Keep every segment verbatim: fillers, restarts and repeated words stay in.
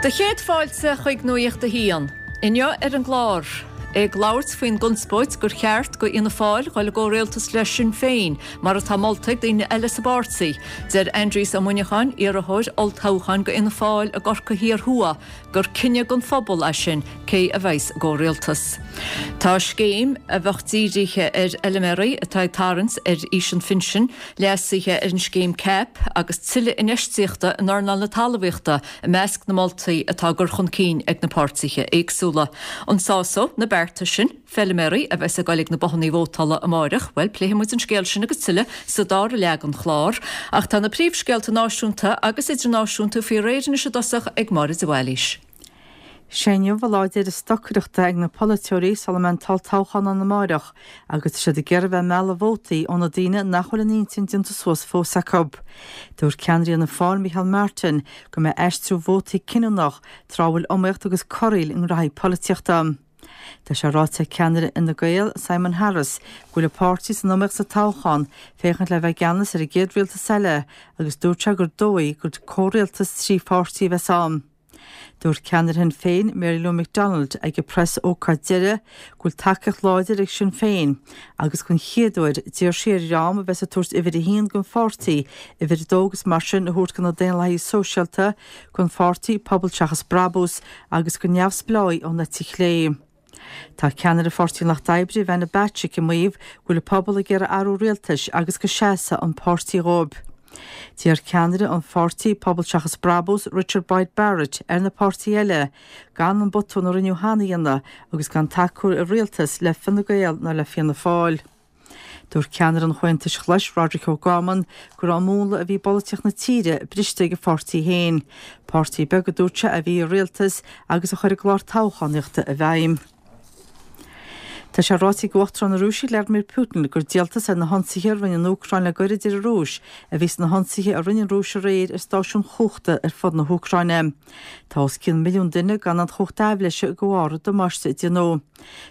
Do chéad fáilte chuig Nuacht a hAon. Inniu ar an gclár. Ag labhairt faoin gconspóid gur cheart go Fhianna Fáil dhul i gcomhrialtas le Sinn Féin, mar atá molta ag daoine eile sa bpáirtí. Deir Aindrias Ó Muineacháin, iarrthóir olltoghcháin go Fhianna Fáil i gCorcaigh Thiar Thuaidh, gur cinneadh don phobal é sin cé a bheas i gcomhrialtas. Tá scéim a bheadh dírithe ar fheilméaraí atá ag tarraingt ar aois an phinsin, leasuithe ar an scéim CAP agus tuilleadh infheistíochta in earnáil na talmhaíochta i measc na moltaí atá á gcur chun cinn ag na páirtithe éagsúla. An sásóidh na bearta sin feilméaraí a bheas ag dul ag na bothanna vótála amárach, bhuel pléifidh muid an scéal sin agus tuilleadh sa dara leath den chlár. Ach tá na príomhscéalta náisiúnta agus idirnáisiúnta faoi réir anois i dtosach ag Máire de Bhailís. Sé inniu an lá deiridh stocaireachta ag na polaiteoirí sula mbeidh an t-olltoghchán ann amárach agus tá siad ag iarraidh bheith ag mealladh vótaí ó na daoine nach bhfuil a n-intinn déanta suas fós acu. Dúirt ceannaire Fhianna Fáil Micheál Martin go mbeidh aistriú vótaí cinniúnach tráth a bhfuil iomaíocht agus corraíl i ngraithí polaitíochta. Tá sé ráite ag ceannaire Fhine Gael, Simon Harris, go bhfuil a pháirtí san iomaíocht sa toghchán féachaint le bheith i gceannas ar an gcéad rialtas eile agus dúirt sé gur dóigh gur comhrialtas trí pháirtí a bheas ann. Dúirt ceannaire Shinn Féin, Mary Lou McDonald, ag a preas-ócáid deiridh go bhfuil tacaíocht láidir ag Sinn Féin agus den chéad uair d'iarr sí ar dhream a bheas ag tabhairt uimhir a haon don pháirtí, uimhir a dó agus mar sin a thabhairt do na Daonlathaithe Sóisialta, don pháirtí Pobal Seachas Brabús agus do neamhspleáigh ón eite chlé. Tá ceannaire Pháirtí an Lucht Oibre, Ivana Bacik, ag maíomh go bhfuil an pobal ag iarraidh athrú rialtais agus go seasfaidh an páirtí dhóibh. D'iarr ceannaire an pháirtí Pobal Seachas Brabús, Richard Boyd Barrett, ar na páirtithe eile gan an botún a rinneadh cheana a dhéanamh agus gan tacú i rialtas le Fine Gael ná le Fianna Fáil. Dúirt ceannaire an Chomhaontais Ghlais, Roderic O'Gorman, go raibh an múnla a bhí i bpolaitíocht na tíre briste ag a pháirtí féin. Páirtí beag, a dúirt sé, a bhí i rialtas agus a chuir a gclár toghchánaíochta i bhfeidhm. Tá sé ráite ag Uachtarán na Rúise Vladimir Putin gur díoltas ar na hionsaithe a rinne an Úcráin le gairid ar an Rúis a bhí sna hionsaithe a rinne an Rúis aréir ar stáisiúin chumhachta ar fud na hÚcráine. Tá os cionn milliún duine gan an chumhacht aibhléise de bharr an damáiste a déanadh.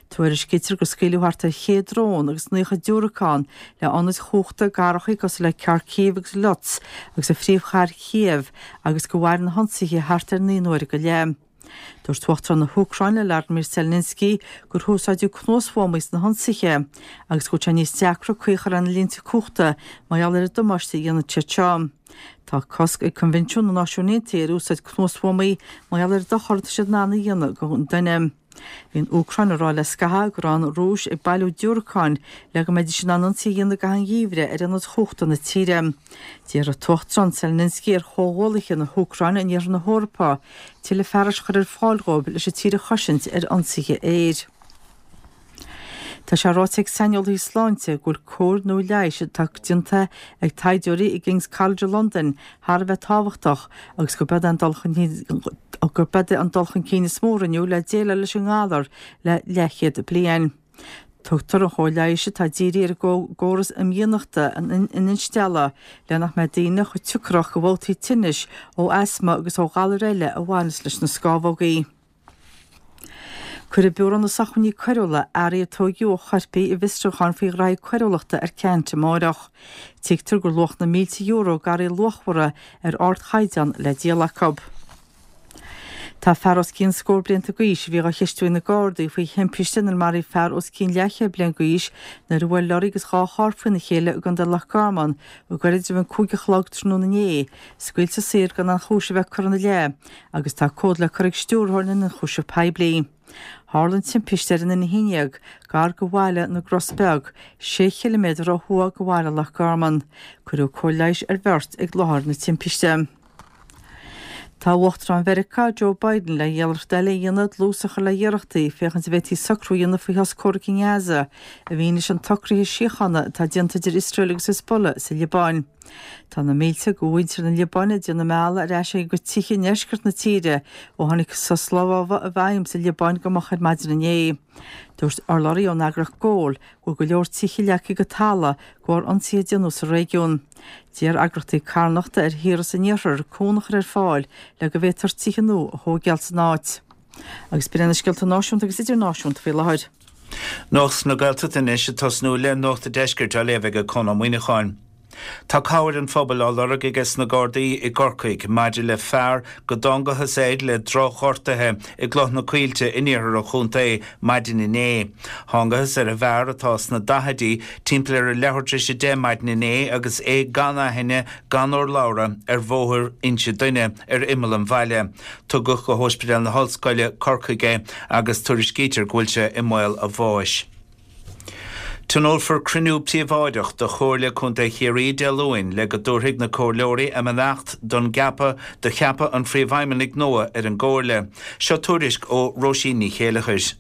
Tuairiscítear gur scaoileadh thart ar chéad drón agus naocha diúracán le hionaid chumhachta i gcathracha cosúil le Kharkiv agus Lutsk agus an phríomhchathair Kiev agus gur mhair na hionsaithe thart ar naoi n-uaire go leith. Dúirt Uachtarán na hÚcráine Vladimir Zelensky gur húsáideadh cnuasbhuamaí sna hionsaithe agus go bhfuil sé níos deacra caoi a chur ar na línte cumhachta mar gheall ar an damáiste a dhéanann siad seo. Tá cosc ag Coinbhinsiún na Náisiún Aontaithe ar úsáid cnuasbhuamaí mar gheall ar an dochar atá siad in ann a dhéanamh don duine. Bhí an Úcráin ag rá le scaitheamh go raibh an Rúis ag bailiú diúracáin le go mbeidís in ann ionsaí a dhéanamh i gcaitheamh an gheimhridh ar ionaid chumhachta na tíre. D'iarr an tUachtarán Zelensky ar chomhghuaillithe na hÚcráine in iarthar na hEorpa tuilleadh fearais a chur ar fáil dhóibh leis an tír a chosaint ar ionsaithe aeir. Tá sé ráite ag saineolaithe sláinte go bhfuil cóir nua leighis atá déanta ag taighdeoirí i gKing's College London thar a bheith tábhachtach agus gurb é an dul chun gurb é an dul chun cinn is mó a rinneadh le déileáil leis an ngalar le leathchéad bliain. Tugtar an chóir leighis atá dírithe ar an gcóras imdhíonachta an instealladh le nach mbeidh daoine chomh teocrach go bhabhtaí tinnis ó asma agus ó ghalair eile a bhaineas leis na scámhógaí. Cuirfidh Biúró na Sócmhainní Coiriúla earraí a tóigeadh ó choirpigh i bhfiosrúchán faoi ghraithí coiriúlachta ar ceant amárach. Tuigtear gur luach na mílte euro d'earraí luachmhara ar ardchaighdeán le díol acu. Tá fear os cionn scór blianta d'aois a bhí á cheistiú ag na Gardaí faoi thimpiste inar maraíodh fear os cionn leathchéad bliain d'aois nuair a bhuail lorry agus dhá charr faoina chéile i gContae Loch Garman go gairid roimh an cúig a chlog tráthnóna inné, scaoilte saor gan aon chúis a bheith curtha ina leith agus tá comhad le cur ag Stiúrthóir na nIonchúiseamh Poiblí. Tharla an timpiste ar an a haon déag gar do bhaile na gCros Beag, sé chiliméadar ó thuaidh de bhaile Loch Garman. Cuireadh cóir leighis ar bheirt ag láthair na timpiste. Tá Uachtarán Mheiriceá, Joe Biden, le hiarracht eile a dhéanamh dlús a chur le hiarrachtaí féachaint an bhféadfaí socrú a dhéanamh faoi shos comhraic i nGaza i bhfianaise an tsocraithe síochána atá déanta idir Iosrael agus Hezbollah sa Liobáin. Tá na mílte de mhuintir na Liobáine ag déanamh a mbealaigh ar ais ag a gcuid tithe i ndeisceart na tíre ó tháinig sos lámhaigh i bhfeidhm sa Liobáin go moch ar maidin inné. Dúirt urlabhraí ón eagraíocht Goal go bhfuil go leor tithe leagtha go talamh de bharr ionsaithe a déanadh sa réigiún. D'iarr eagraíochtaí carthanachta ar thíortha san iarthar cúnamh a chur ar fáil le go bhféadfar tithe nua a thógáil san áit. Agus b'in iad na scéalta náisiúnta agus idirnáisiúnta faoi láthair. Nuacht na Gaeltachta anois ag tosnú le Nuacht an Deiscirt á léamh ag Conn Ó Muíneacháin. Tá cabhair an phobail á lorg aige sna Gardaí i gCorcaigh maidir le fear go dtángathas air le drochghortuithe i gCloich na Coillte in iarthar an chontae maidin inné. Thángthas ar an bhfear atá sna daichidí timpeall ar a leathuair tar éis a deich maidin inné agus é gan aithne gan urlabhra ar Bhóthar Inse Duine ar imeall an bhaile. Tugadh go hOspidéal na hOllscoile, Corcaigh é agus tuairiscítear go bhfuil sé i mbaol a bháis. Tionólfar cruinniú príobháideach de Chomhairle Contae Chiarraí Dé Luain le go dtabharfaidh na comhairleoirí a mbeannacht don gceapadh do cheapadh an phríomhfheidhmeannaigh nua ar an gComhairle. Seo tuairisc ó Róisín Ní Chéileachair.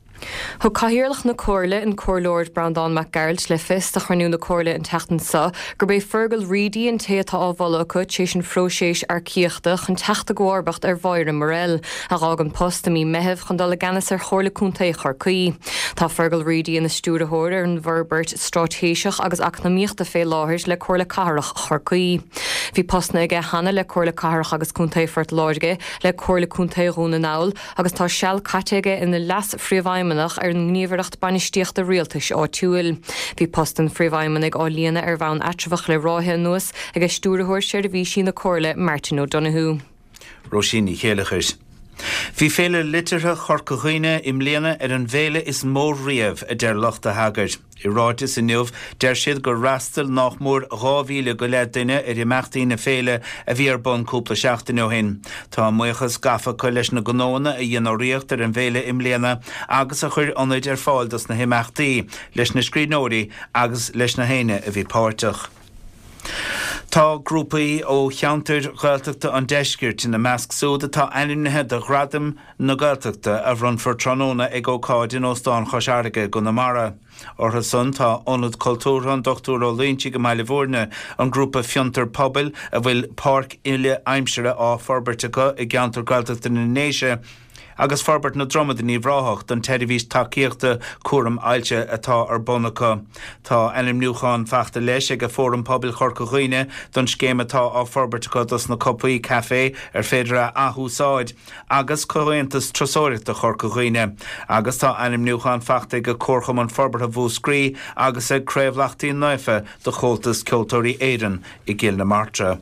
Thug Cathaoirleach na Comhairle, an Comhairleoir Breandán Mac Gearailt, le fios do chruinniú na Comhairle an tseachtain seo gurb é Fergal Reidy an té atá á mholadh acu tar éis an phróiseas earcaíochta chun teacht i gcomharbacht ar Mháire Morrell, a d'fhág an post i mí Meithimh chun dul i gceannas ar Chomhairle Contae Chorcaí. Tá Fergal Reidy ina stiúrthóir ar an bhforbairt straitéiseach agus eacnamaíochta fé láthair le Comhairle Cathrach Chorcaí. Bhí postanna aige cheana le Comhairle Cathrach agus Contae Phort Láirge, le Comhairle Contae Dhún na nGall agus tá seal caite aige ina leas-phríomhfheidhmeannach ar an nGníomhaireacht Bainistíochta Rialtais Áitiúil. Bhí post an phríomhfheidhmeannaigh á líonadh ar bhonn eatramhach le ráithe anuas ag Stiúrthóir Seirbhísí na Comhairle, Martin O'Donoghue. Róisín Ní Chéileachair. Bhí Féile Liteartha Chorca Dhuibhne i mbliana ar an bhféile is mó riamh, a deir lucht a heagair. I ráiteas inniu, deir siad gur fhreastail nách mór dhá mhíle go leith duine ar imeachtaí na féile a bhí ar bun cúpla seachtain ó shin. Tá a mbuíochas gafa acu leis na gnóanna a dhein urraíocht ar an bhféile i mbliana agus a chuir ionaid ar fáil dos na himeachtaí, leis na scríbhneoirí agus leis na héinne a bhí páirteach. Tá grúpaí ó cheantair Ghaeltachta an deiscirt ina measc súd atá ainmnithe do Ghradaim na Gaeltachta a bhronnfar tráthnóna ag ócáid in Óstán Chois Fharraige i gConamara. Orthu san tá Ionad Cultúrtha an Dochtúir Ó Loingsigh i mBaile Bhúirne, an grúpa Fiontar Pobail a bhfuil páirc uile-aimsire á forbairt acu i gceantar Gaeltachta na nDéise, agus Forbairt na Dromad in Uíbh Ráthach don tseirbhís tacaíochta cúram ailse atá ar bun acu. Tá ainmniúchán fachta leis ag Fóram Pobail Chorca Dhuibhne don scéim atá á forbairt acu dos na cupaí caife ar féidir a athúsáid agus Comhaontas Turasóireachta Chorca Dhuibhne agus tá ainmniúchán fachta ag Comharchumann Forbartha Mhúscraí agus ag Craobh Lachtaín Naofa do Chomhaltas Ceoltóirí Éireann i gCill na Martra.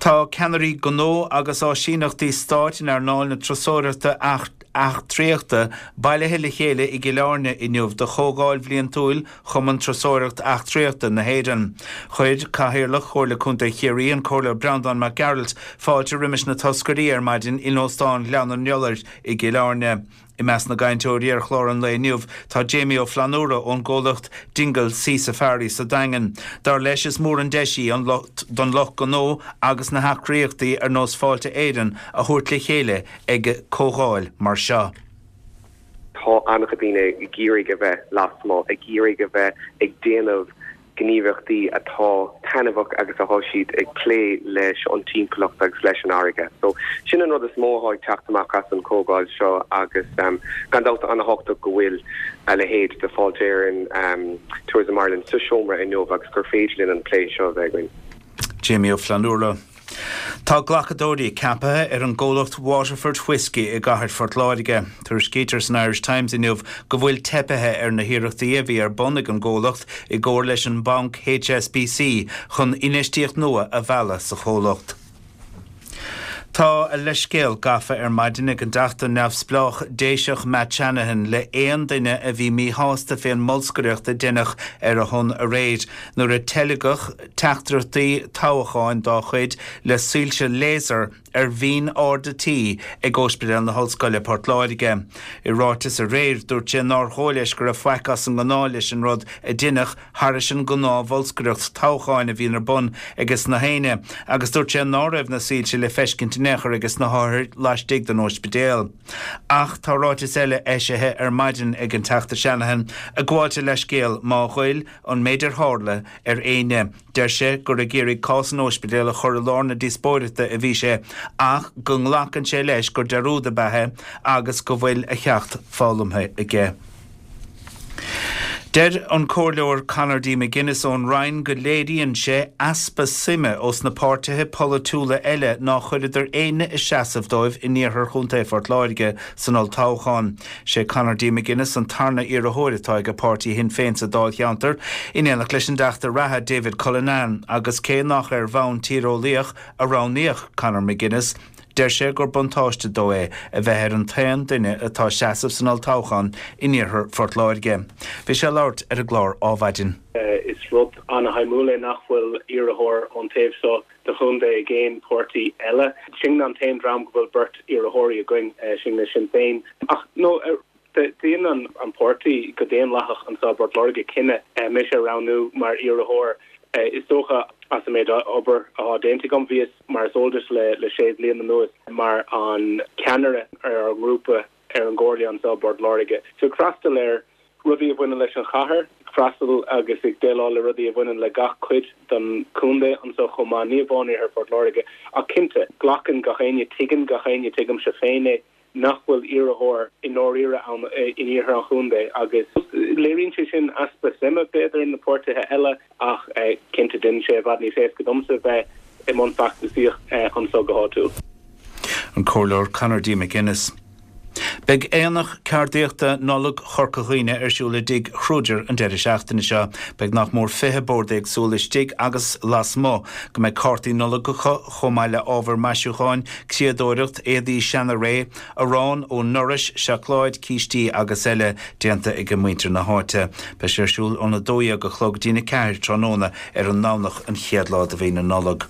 Tá ceannairí gnó agus áisíneachtaí stáit in earnáil na turasóireachta eachtraíochta bailithe le chéile i gCill Airne inniu do chomhdháil bhliantúil Chumann Turasóireacht Eachtraíochta na hÉireann. Chuir Cathaoirleach Chomhairle Contae Chiarraí, an Comhairleoir Breandán Mac Gearailt, fáilte roimis na toscairí ar maidin in Óstán Ghleann an Iolair i gCill Airne. I measc na gcainteoirí ar chlár an lae inniu tá Jamie Ó Flannúra ón gcomhlacht Dingle Sea Safari sa Daingean. Dar leis is mór an deis í an don lucht gnó agus na heagraíochtaí ar nós Fáilte Éireann a thabhairt le chéile ag comhdháil mar seo. Tá an-chuid daoine ag iarraidh a bheith lasmuigh, ag iarraidh a bheith ag déanamh gníomhaíochtaí atá taitneamhach agus atá siad ag plé leis an timpeallacht agus leis an fharraige. So sin an rud is mó atá ag teacht amach as an chomhdháil seo agus um, gan dabht an-tábhachtach go bhfuil a leithéid de Fáilte Éireann um, Tourism Ireland sa seomra inniu agus gur féidir linn an plé seo a bheith againn. Jamie Ó Flannúra. Tá glacadóirí ceaptha ar an gcomhlacht Waterford Whiskey i gcathair Phort Láirge. Tuairiscítear san Irish Times inniu go bhfuil teipithe ar na hiarrachtaí a bhí ar bun ag an gcomhlacht i gcomhar leis an banc H S B C chun infheistíocht nua a mhealladh sa chomhlacht. Tá a leithscéal gafa ar maidin ag an dTeachta neamhspleách Déiseach Matt Shanahan le aon duine a bhí míshásta fén mbolscaireacht a deineadh ar a shon aréir nuair a teilgeadh teachtaireachtaí toghcháin dá chuid le soilse laser ar bhinn arda tí ag Ospidéal na hOllscoile Port Láirge. I ráiteas aréir dúirt sé nár dhóigh leis go raibh faic as an ngnáth leis an rud a deineadh thairis an ngnáth-bholscaireacht toghcháin a bhíonn ar bun ages na héinne, agus dúirt sé ná raibh na soilse le feiscint in aon chor ages na hothair laistigh den ospidéal. Ach tá ráiteas eile eisithe ar maidin ag an Teachta Shanahan ag gabháilt a leithscéal má ghoill an méid ar tharla ar éinne. Deir sé gur ag iarraidh cás an ospidéil a chur i lár na díospóireachta a bhí sé, ach go nglacann sé leis gur dearúd ab ea é agus go bhfuil a cheacht foghlamtha aige. Deir an Comhairleoir Conor D. McGuinness ón Rinn go léiríonn sé easpa suime ós na páirtithe polaitiúla eile nár chuireadar éinne ag seasamh dóibh in iarthar Chontae Phort Láirge san olltoghchán. Sé Conor D. McGuinness an tarna iarrthóir atá ag páirtí Shinn Féin sa Dáilcheantar in éineacht leis an dTeachta reatha David Cullinane agus cé nach ar bhonn tíreolaíoch a roghnaíodh Conor McGuinness, Deir sé gur buntáiste dó é a bheith ar an t-aon duine atá ag seasamh san olltoghchán in iarthar Phort Láirge. Bhí sé ag labhairt ar an gclár Adhmhaidin. Is rud an-shuimiúil é nach bhfuil iarrthóir ón taobh seo de chontae ag aon pháirtí eile. Sinne an t-aon dream go bhfuil beirt iarrthóirí againn, sinne Sinn Féin. Ach no, déanann an páirtí go daonlathach anseo i bPort Láirge cinneadh mise a roghnú mar iarrthóir. Is dócha as an méid obair atá déanta agam, bhíos, mar is eol duit, le sé bliana anuas mar an ceannaire ar ár ngrúpa ar an gComhairle anseo i bPort Láirge. So ag freastal ar rudaí a bhaineann leis an chathair, ag freastal agus ag déileáil le rudaí a bhaineann le gach cuid den chontae anseo chomh maith, ní amháin iarthar Phort Láirge. Ach cinnte, glacann gach éinne, tuigeann gach éinne, tuigimse féin é, nach bhfuil iarrthóir i ndáiríre ann in iarthar an chontae agus léiríonn sé sin easpa suime, b'fhéidir, na páirtithe eile ach cinnte déanann sé i bhfad níos éasca domsa bheith i mbun feachtasaíocht anseo go háitiúil. An Comhairleoir Conor D. McGuinness. Beidh Aonach Ceardaíochta Nollag Chorca Dhuibhne ar siúl i dTigh Kruger an deireadh seachtaine seo. Beidh nach mór fiche bord éagsúil istigh agus lasmuigh, go mbeidh cártaí Nollag acu chomh maith le ábhar maisiúcháin, criadóireacht, éadaí seana-ré, arán ón nDorais, seacláid, cístí agus eile déanta ag muintir na háite. Beidh sé ar siúl óna dó dhéag a chlog go dtína ceathair tráthnóna ar an nDomhnach an chéad lá de mhí na Nollag.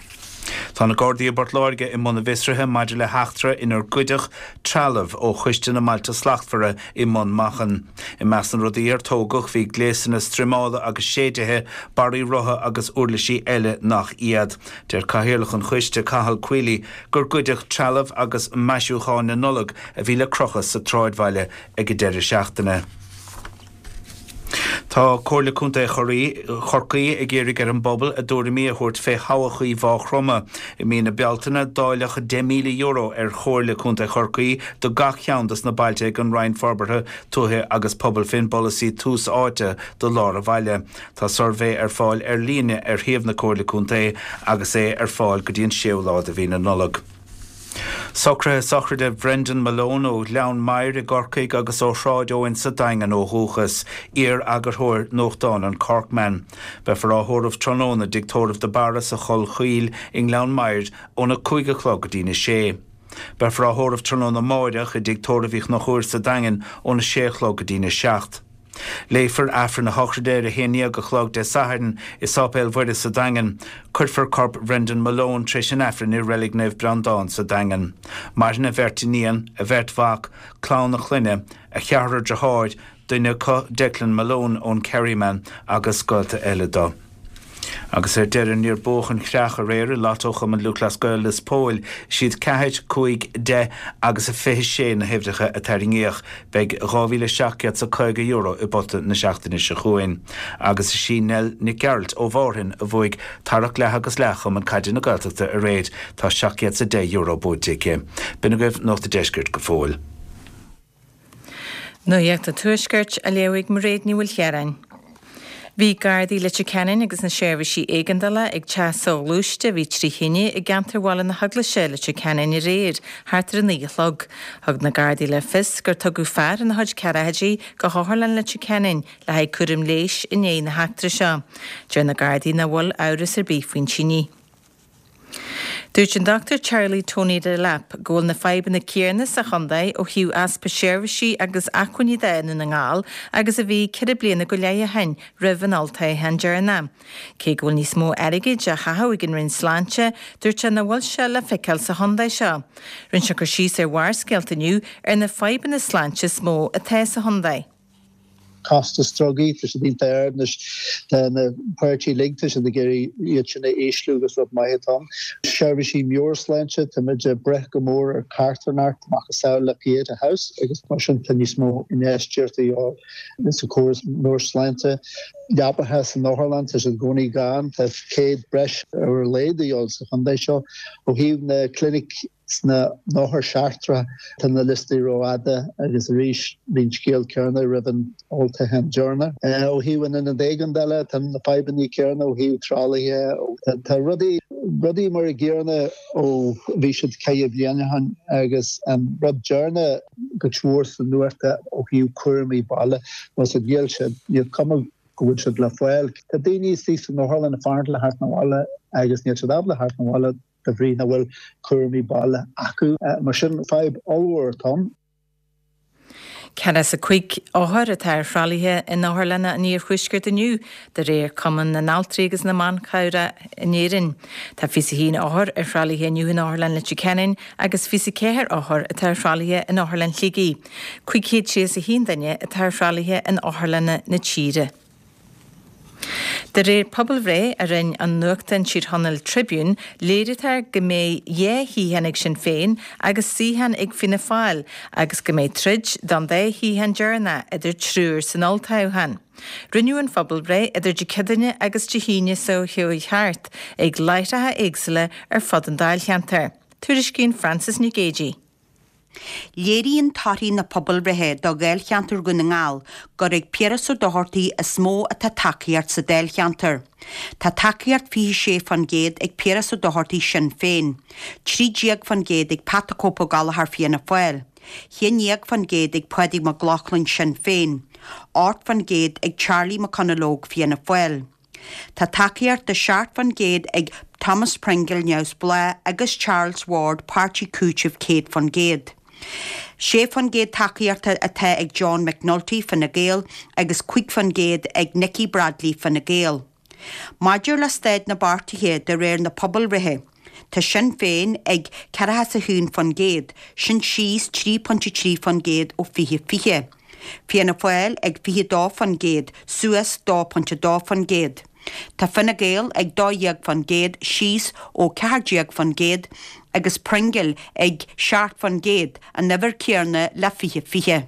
Tá na Gardaí i bPort Láirge i mbun a bhfiosraithe maidir le heachtra inar goideadh trealamh ó Choiste na mBailte Slachtmhara i mBun Machan. I measc na rudaí ar tógadh bhí gléasanna struimeála agus séidithe, barraí rotha agus uirlisí eile nach iad. Deir Cathaoirleach an Choiste, Cathal Queally, gur goideadh trealamh agus maisiúcháin na Nollag a bhí le crochadh sa tsráidbhaile ag an deireadh seachtaine. Tá Comhairle Contae Chorcaí ag iarraidh ar an bpobal a dtuairimí a thabhairt fé thodhchaí Mhaigh Chromtha. I mí na Bealtaine, dáileadh deich míle euro ar Chomhairle Contae Chorcaí do gach ceann dos na bailte ag an Roinn Forbartha Tuaithe agus Pobail fén bpolasaí Tús Áite do Lár an Bhaile. Tá suirbhé ar fáil ar líne ar shuíomh na Comhairle Contae agus é ar fáil go dtí an séú lá de mhí na Nollag. Socruithe sochraide Bhrendan Malone ó Ghleann Maghair i gCorcaigh agus ó Shráid Eoin sa Daingean ó dhúchas, iar-eagarthóir nuachtáin an Corkman. Beifear á thórramh tráthnóna i dTigh Tórraimh de Barra sa Choill Chaoil i nGleann Maghair óna cúig a chlog go dtína sé. Beifear á thórramh tráthnóna amáireach i dTigh Tórraimh Uí Chonchúir sa Daingean óna sé a chlog go dtína seacht. Léifear Aifreann a shochraide ar a haon déag a chlog Dé Sathairn i Sáipéal Mhuire sa Daingean. Cuirfear corp Bhrendan Malone tar éis an Aifrinn i Reilig Naomh Breandán sa Daingean. Maireann a bheirt iníon, a bheirt mhac, clann a chlainne, a cheathrar deartháir, duine acu Declan Malone ón Kerryman, agus gaolta eile dó. Agus ar deireadh, níor buadh an chreach aréir i Lotto Chumann Lúthchleas Gael Lios Póil. Is iad ceathair, cúig, deich agus a fiche sé na huimhreacha a tarraingíodh. Beidh dhá mhíle seacht gcéad 's a caoga euro i bpota na seachtaine seo chugainn. Agus is í Nell Nic Gearailt ó Mhárthain a bhuaigh tarrac leath agus leath Chumann Caide na Gaeltachta aréir. Tá seacht gcéad 's a deich euro buaite aici. B'in agaibh Nuacht an Deiscirt go fóill. Nuacht an Tuaiscirt á léamh ag Mairéad Ní Mhaoilchiaráin. Bhí Gardaí Leitir Ceanainn agus na seirbhísí éigeandála ag teach soghluaiste a bhí trí thine i gceantar Bhaile na hEaglaise, Leitir Ceanainn aréir thart ar a naoi a chlog. Thug na Gardaí le fios gur tugadh fear ina chuid ceathrachaidí go hOtharlann Leitir Ceanainn le haghaidh cúram leighis i ndiaidh na heachtra seo. Deir na Gardaí nach bhfuil amhras ar bith faoin tine. Dúirt an Dochtúir Charlie Tony Delap go bhfuil na fadhbanna céanna sa chontae ó thaobh easpa seirbhísí agus acmhainní de i nDún na nGall agus a bhí ceithre bliana go leith ó shin roimh an olltoghchán deireanach. Cé go bhfuil níos mó airgid á chaitheamh ag an Roinn Sláinte, dúirt sé nach bhfuil sé le feiceáil sa chontae seo. Rinne sé cur síos ar Bharrscéalta inniu ar na fadhbanna sláinte is mó atá sa chontae. Costas drugaí, tá siad iontach ard anois, tá na páirtithe uilig, tá siad ag iarraidh iad sin a ísliú agus rud maith atá ann. Seirbhísí meabhairshláinte, tá muid ag brath go mór ar carthanacht macasamhail le Pieta House agus mar sin tá níos mó infheistíochta a dhíobháil sa chóras meabhairshláinte. Leapacha san otharlann, tá siad i gcónaí gann, tá céad breis ar a laghad a dhíobháil sa chontae seo. Ó thaobh na clinic Sna n-othair seachtracha tá na liostaí rófhada agus arís bhí an scéal céanna roimh an olltoghchán deireanach. Ó thaobh an ionad éigeandála tá na fadhbanna céanna ó thaobh tralaithe. Tá rudaí rudaí mar a gcéanna ó bhí siad ceithre bliana ó shin agus an rud deireanach go mór sa nuacht ó thaobh cúraimí baile nó sa níl siad níl cuma go bhfuil siad le fáil. Tá daoine istigh san otharlann ag fanacht le theacht 'na bhaile agus níl siad ábalta theacht 'na bhaile de bhrí nach bhfuil cúraimí baile acu. Mar sin fadhb ollmhór atá ann. Ceathracha is a cúig othar atá ar thralaithe in otharlanna an iarthuaiscirt inniu, de réir Cumann na nAltraí agus na mBan Cabhrach in Éirinn. Tá fiche a haon othar ar thralaithe inniu in Otharlann Leitir Ceanainn agus fiche a ceathair othar atá ar thralaithe in Otharlann Shligigh. Cúig chéad tríocha a haon duine atá ar thralaithe in otharlanna na tíre. De réir pobalbhreith a rinne an nuachtán Tír Chonaill Tribune, léirítear go mbeidh dhá shuíochán ag Sinn Féin agus suíochán ag Fianna Fáil agus go mbeidh troid don dá shuíochán deireanach idir triúr san olltoghchán. Rinneadh an phobalbhreith idir Dé Céadaoine agus Dé hAoine seo chuaigh thart ag láithreacha éagsúla ar fud an dáilcheantair. Tuairiscíonn Frances Nic Géadaigh. Léiríonn torthaí na pobalbhreithe do Dháilcheantar Dhún na nGall gur ag Piaras Ó Dochartaigh is mó atá tacaíocht sa dáilcheantar. Tá tacaíocht fiche sé faoin gcéad ag Piaras Ó Dochartaigh Sinn Féin, trí déag faoin gcéad ag Pat the Cope Ó Gallchóir Fianna Fáil, haon déag faoin gcéad ag Pádraig Mac Lochlainn Sinn Féin, ocht faoin gcéad ag Charlie McConalogue Fianna Fáil. Tá tacaíocht de seacht faoin gcéad ag Thomas Pringle Neamhspleách agus Charles Ward Páirtí Cúitimh céad faoin gcéad. Sé faoin gcéad tacaíochta atá ag John McNulty Fine Gael agus cúig faoin gcéad ag Nikki Bradley Fine Gael. Maidir le staid na bpáirtithe de réir na pobalbhreithe, tá Sinn Féin ag ceathracha a haon faoin gcéad, sin síos trí pointe trí faoin gcéad ó fiche fiche. Fianna Fáil ag fiche dó faoin gcéad, suas dó pointe dó faoin gcéad. Tá Fine Gael ag dó dhéag faoin gcéad, síos ó ceathair déag faoin gcéad, agus Pringle ag seacht faoin gcéad, an uimhir chéanna le fiche fiche.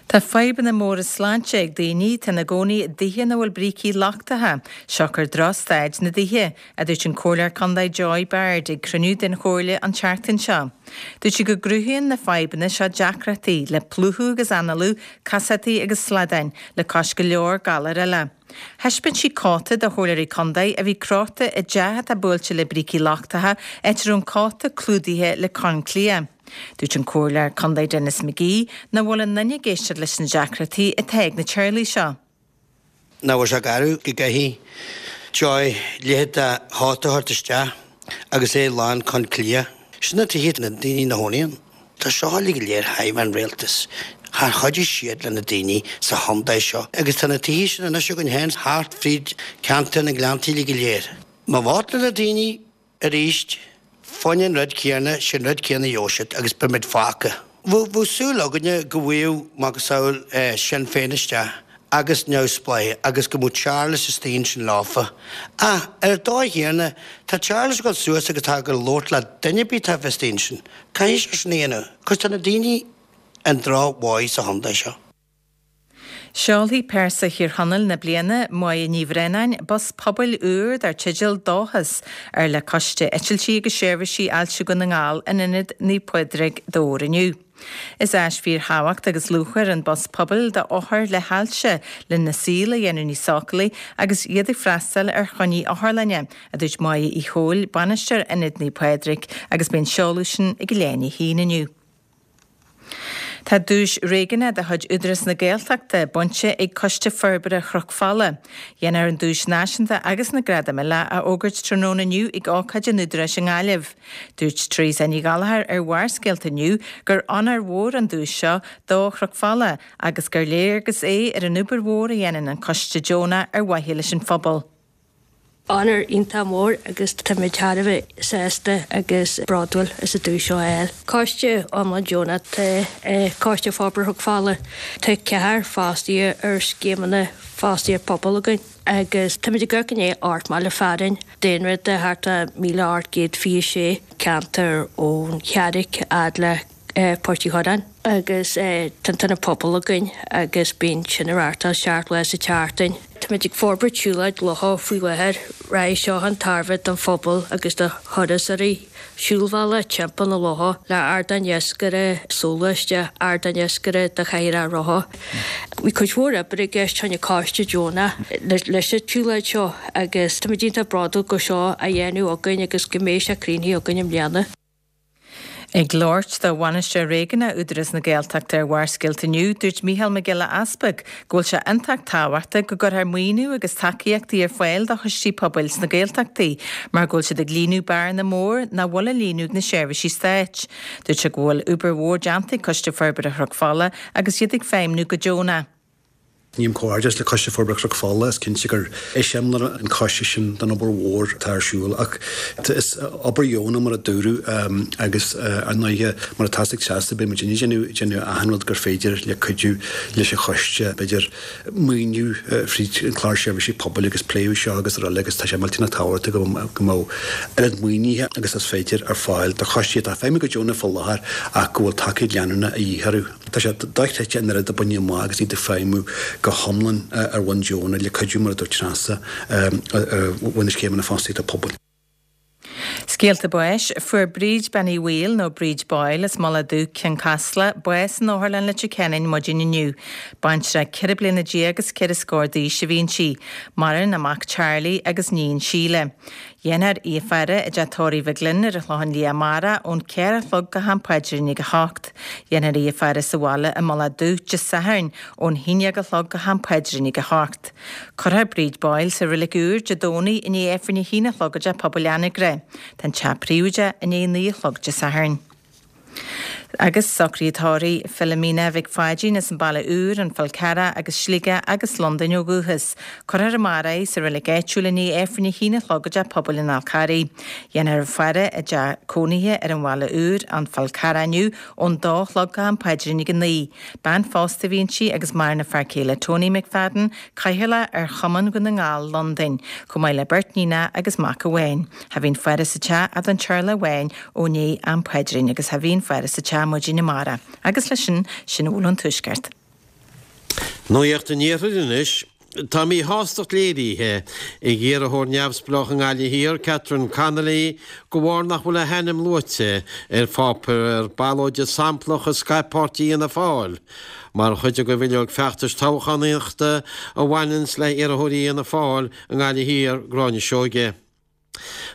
Tá fadhbanna móra sláinte ag daoine atá ina gcónaí i dtithe ina bhfuil brící lochtacha, siocair drochstaid na dtithe, a dúirt an Comhairleoir Contae Joy Baird ag cruinniú den Chomhairle an tseachtain seo. Dúirt sí go gcruthaíonn na fadhbanna seo deacrachtaí le plúchadh agus análú, casachtaí agus sladáin, le cois go leor galar eile. Thaispeáin sí cóta do chomhairleoirí contae a bhí crochta i dteach atá buailte le brící lochtacha, áit a raibh an cóta clúdaithe le corn cliath. Dúirt an Comhairleoir Contae Denis McGee nach bhfuil aon duine ag éisteacht leis na deacrachtaí atá ag na teaghlaigh seo. Nach bhfuil sé garbh go gcaithfidh Joy leithéid de chóta a thabhairt isteach agus é lán corn cliath. Sin na tithe na daoine ina gcónaí ann. Tá seo uilig go léir thar an rialtas. Char chuidigh siad le na daoine sa chontae seo agus tá na tithe sin anois againn féin thart fríd ceantar na nGleanntaí uilig go léir. Má vótálann na daoine arís fá choinne an rud céanna, sin rud céanna a gheobhaidh siad agus beidh muid fágtha. Bheadh súil againne go bhfaigheadh macasamhail Sinn Féin isteach agus Neamhspleách agus go mbeadh Charles istigh ansin leofa. Ach ar an dóigh chéanna, tá Charles ag dul suas agus tá ag dul labhairt le duine ar bith atá istigh ansin. Caithfidh sé sin a dhéanamh, cos tá na daoine i ndrochbhail sa chontae seo. Seolfaidh Pearsa Thír Chonaill na bliana, Máire Ní Bhraonáin, bus pobail úr dar teideal Dóchas, ar le Coiste Eitiltí agus Seirbhísí Ailse Dhún na nGall in Ionad Naomh Pádraig, Dobhar inniu. Is áis fíorthábhachtach agus luachmhar an bus pobail do othair le hailse lena saol a dhéanamh níos sócúlaí agus iad ag freastal ar choinní otharlainne, a dúirt Máire Uí Chomhaill, Bainisteoir Ionad Naomh Pádraig, agus beidh an seoladh sin ag leath i ndiaidh a haon inniu. Tá duais réigiúnach de chuid Údarás na Gaeltachta bainte ag Coiste Forbartha Chnoc Fola. Dhéanfar an duais náisiúnta agus na gradaim eile a fhógairt tráthnóna inniu ag ócáid an Údaráis i nGaillimh. Dúirt Teresa Ní Ghallchóir ar Bharrscéalta inniu gur onóir mhór an duais seo do Chnoc Fola agus gur léargas é ar an obair mhór a dhéanann an coiste deonach ar mhaithe leis an phobal. Onóir iontach mór agus táimid thar a bheith sásta agus bródúil as an duais seo a fháil. Coiste iomlán deonach atá i Coiste Forbartha Chnoc Fola. Tá ceathrar fostaithe ar scéimeanna fostaíocht pobail againn agus táimid ag amharc i ndiaidh ocht mbaile fearainn, daonra de thart ar míle ocht gcéad fiche sé, ceantar ón Charraic fhad le Páirc Uí Chorráin agus tá an t-ionad pobail againn agus bíonn sin á reáchtáil seacht lá sa tseachtain. Táimid ag forbairt siúlóid locha faoi láthair, rachaidh seo chun tairbhe don phobal agus do thurasóirí. Siúlbhealach timpeall na locha le ardán iascaire soghluaiste, ardán iascaire do chathaoireacha rotha. Bhí cuid mhór oibre i gceist choinne coiste deonach leis an tsiúlóid seo agus táimid iontach bródúil go seo á dhéanamh againn agus go mbeidh sé críochnaithe againn i mbliana. Ag labhairt do Bhainisteoir Réigiúnach Údarás na Gaeltachta ar Bharrscéalta inniu, dúirt Mícheál Mac Giolla Easpaig go bhfuil sé iontach tábhachtach go gcuirfear maoiniú agus tacaíochtaí ar fáil do choistí pobail sna Gaeltachtaí mar go bhfuil siad ag líonadh bearna mór nach bhfuil á líonadh ag na seirbhísí stáit. Dúirt sé go bhfuil obair mhór déanta ag Coiste Forbartha Chnoc Fola agus iad ag feidhmniú go deonach. Nílim comhghairdeas le Coiste Forbartha Chnoc Fola, is cinnte gur eiseamláir an coiste sin den obair mhór atá ar siúl ach is obair dheonach mar a dúradh agus ar ndóighe mar atá ag Treasa beidh muid ag déanamh achan rud gur féidir le cuidiú leis an choiste, b'fhéidir maoiniú fríd an clár seirbhísí pobail agus pléadh seo agus araile agus tá sé millteanach tábhachtach go mbeadh oiread maoinithe agus is féidir ar fáil do choistí atá ag feidhmiú go deonach faoi láthair ach go bhfuil tacaíocht leanúnach a dhíth orthu. Tá sé dochreidte an oiread a baineadh amach agus iad ag feidhmiú go hiomlán ar bhonn deonach le cuidiú mar a dúirt Treasa bhain na scéimeanna fostaíochta pobail. Scéalta báis, Fuair Bríd Bean Uí Bhaoill, nó Bríd Boyle, as Mullach Dubh, Cionn Caslach, bás in Otharlann Leitir Ceanainn maidin inniu. Baintreach ceithre bliana déag agus ceithre scór d'aois a bhí inti. Maireann a mac Charlie agus níon Síle. Dhéanfar í a faire i dteach tórraimh Mhic Gloinn ar an Chlochán Liath amárach ón ceathair a chlog go ham paidrín ag a hocht. Dhéanfar í a faire sa bhaile i Mullach Dubh Dé Sathairn ón haon déag a chlog go ham paidrín ag a hocht. Cuirfear Bríd Boyle sa Reilig Úr Dé Domhnaigh i ndiaidh Aifreann a haon a chlog i dTeach Pobail Anagaire. Tá an teach príobháideach i ndiaidh naoi a chlog Dé Sathairn. Agus socruithe tórraimh Philomena Mhic Pháidín as an Baile Úr, An Fál Carrach agus Sligeach agus Londain ó dhúchas. Cuirfear amárach í sa reilig áitiúil i ndiaidh Aifreann a haon a chlog i dTeach Pobail an Fháil Charraigh. Dhéanfar a faire i dteach cónaithe ar an Bhaile Úr, An Fál Carrach inniu ón dó a chlog go ham paidrín ag a naoi. Bean phósta a bhí inti agus maireann a fear céile Tony McFadden, Cathaoirleach ar Chumann Dhún na nGall, Londain, chomh maith le beirt níonacha agus mac amháin. Tha bhí an faire sa teach a'd an teaghlach amháin ó ndiaidh am paidrín agus tha bhí an faire sa teach maidin amárach. Agus leis sin, sin a bhfuil ón Tuaisceart. Nuacht an Iarthair anois. Tá míshástacht léirithe ag iarrthóir neamhspleách i nGaillimh Thiar, Catherine Connolly, de bharr nach bhfuil a hainm luaite ar pháipéar ballóide samplach a scaip páirtí Fhianna Fáil mar chuid de bhileog feachtais toghchánaíochta a bhaineanns le hiarrthóirí Fhianna Fáil i nGaillimh Thiar, Gráinne Seoige.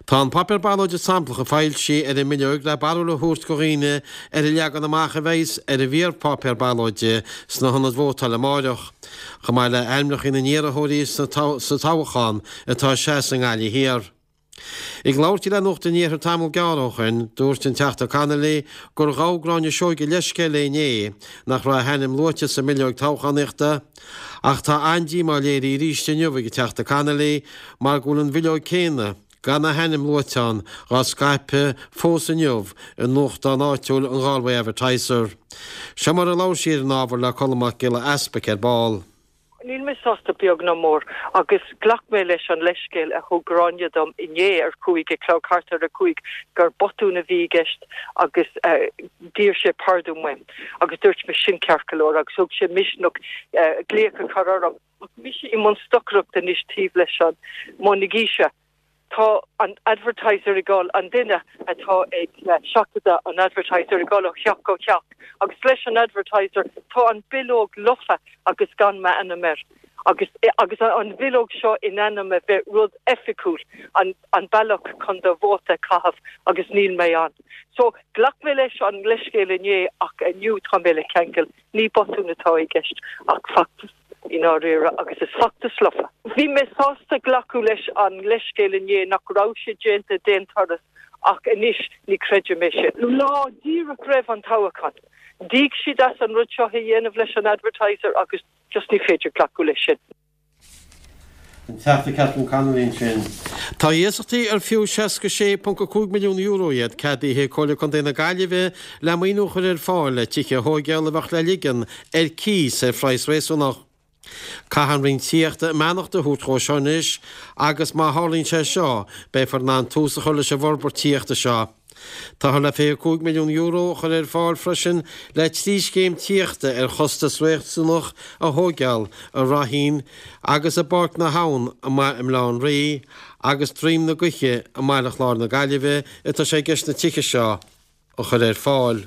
Tá an páipéar ballóide samplach a foilsíodh ar an mbileog le barúil a thabhairt do dhaoine ar an leagan amach a bheas ar an bhfíorpháipéar ballóide sna hionaid vótála amáireach, chomh maith le hainmneacha na n-iarrthóirí sa toghchán atá ag seasamh i nGaillimh Thiar. Ag labhairt di le Nuacht an Iarthair tamall gearr ó shin, dúirt an Teachta Connolly gur ghabh Gráinne Seoige leithscéal léi inné nach raibh a hainm luaite sa mbileog toghchánaíochta, Ach tá an-díomá léirithe arís inniu ag an Teachta Connolly mar go bhfuil an bhileog céanna, gan a hainm luaite ann, dhá scaipeadh fós inniu i nuachtán áitiúil an Galway Advertiser. Seo mar a labhair sí ar an ábhar le Colm Mac Giolla Easpaig ar ball. Níl mé sásta beag ná mór agus ghlac mé leis an leithscéal a thug Gráinne dom inné ar cúig a chlog, thart ar a cúig, gur botún a bhí i gceist agus d'iarr sé pardún uaim agus dúirt mé sin ceart go leor agus thug sé misneach glaoch a chur orm. Ach mise i mbun stocaireachta anois taobh leis an mBun na Gíse. Tá an Advertiser ag dul, an duine atá ag seachadadh an Advertiser ag dul ó theach go teach agus leis an Advertiser tá an bileog lofa agus gan m'ainm air agus agus an bhileog seo in ainm a bheith rud oifigiúil, an an bealach chun do vóta a chaitheamh agus níl mé ann. So ghlac mé leis an leithscéal inné ach inniu tá mé le ceangal, ní botún atá i gceist ach feachtas. i ndáiríre, agus is feachtas lofa. Bhí mé sásta glacadh leis an leithscéal inné nach raibh sé déanta d'aon turas ach anois ní chreidim é sin. Lá díreach roimh an toghchán, d'íoc siad as an rud seo a dhéanamh leis an Advertiser agus just ní féidir glacadh leis sin. An Teachta Catherine Connolly ansin. Tá iasachtaí ar fiú seasca sé ponc a cúig milliún euro iad ceadaithe ag Comhairle Contae na Gaillimhe le maoiniú a chur ar fáil le tithe a thóigeáil a bheadh le ligean ar cíos ar phraghas réasúnach. Caithfidh an Roinn Tithíochta a mbeannacht a thabhairt dhó seo anois agus má tharlaíonn sé seo beifear in ann tús a chur leis an bhforbairt tithíochta seo. Táthar le fiche cúig milliún euro a chur ar fáil freisin le trí scéim tithíochta ar chostas réasúnach a thóigeáil i Ráithín agus i bPáirc na hAbhann i mBaile Átha an Rí agus Droim na Gaoithe i mBaile Chláir na Gaillimhe atá sé i gceist na tithe seo a chur ar fáil.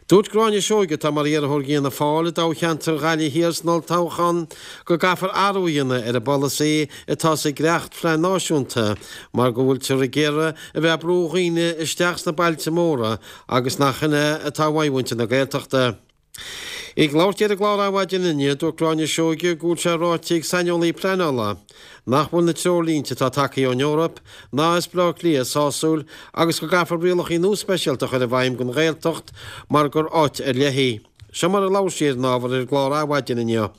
Dúirt Gráinne Seoige, atá mar iarrthóir d'Fhianna Fáil i dtoghcheantar Ghaillimh Thiar san olltoghchán, go gcaithfear athrú a dhéanamh ar an bpolasaí atá sa dhréachtphlean náisiúnta mar go bhfuiltear ag iarraidh a bheith ag brú dhaoine isteach sna bailte móra agus nach in é atá uaidh mhuintir na Gaeltachta. Ag labhairt di ar an gclár Adhmhaidin inniu, dúirt Gráinne Seoige go bhfuil sé ráite ag saineolaí pleanála nach bhfuil na treoirlínte atá tagtha ón Eoraip ná as Baile Átha Cliath sásúil agus go gcaithfear rialacha nua speisialta a chur i bhfeidhm don Ghaeltacht mar gur áit ar leith í. Seo mar a labhair sí ar an ábhar ar an gclár Adhmhaidin inniu.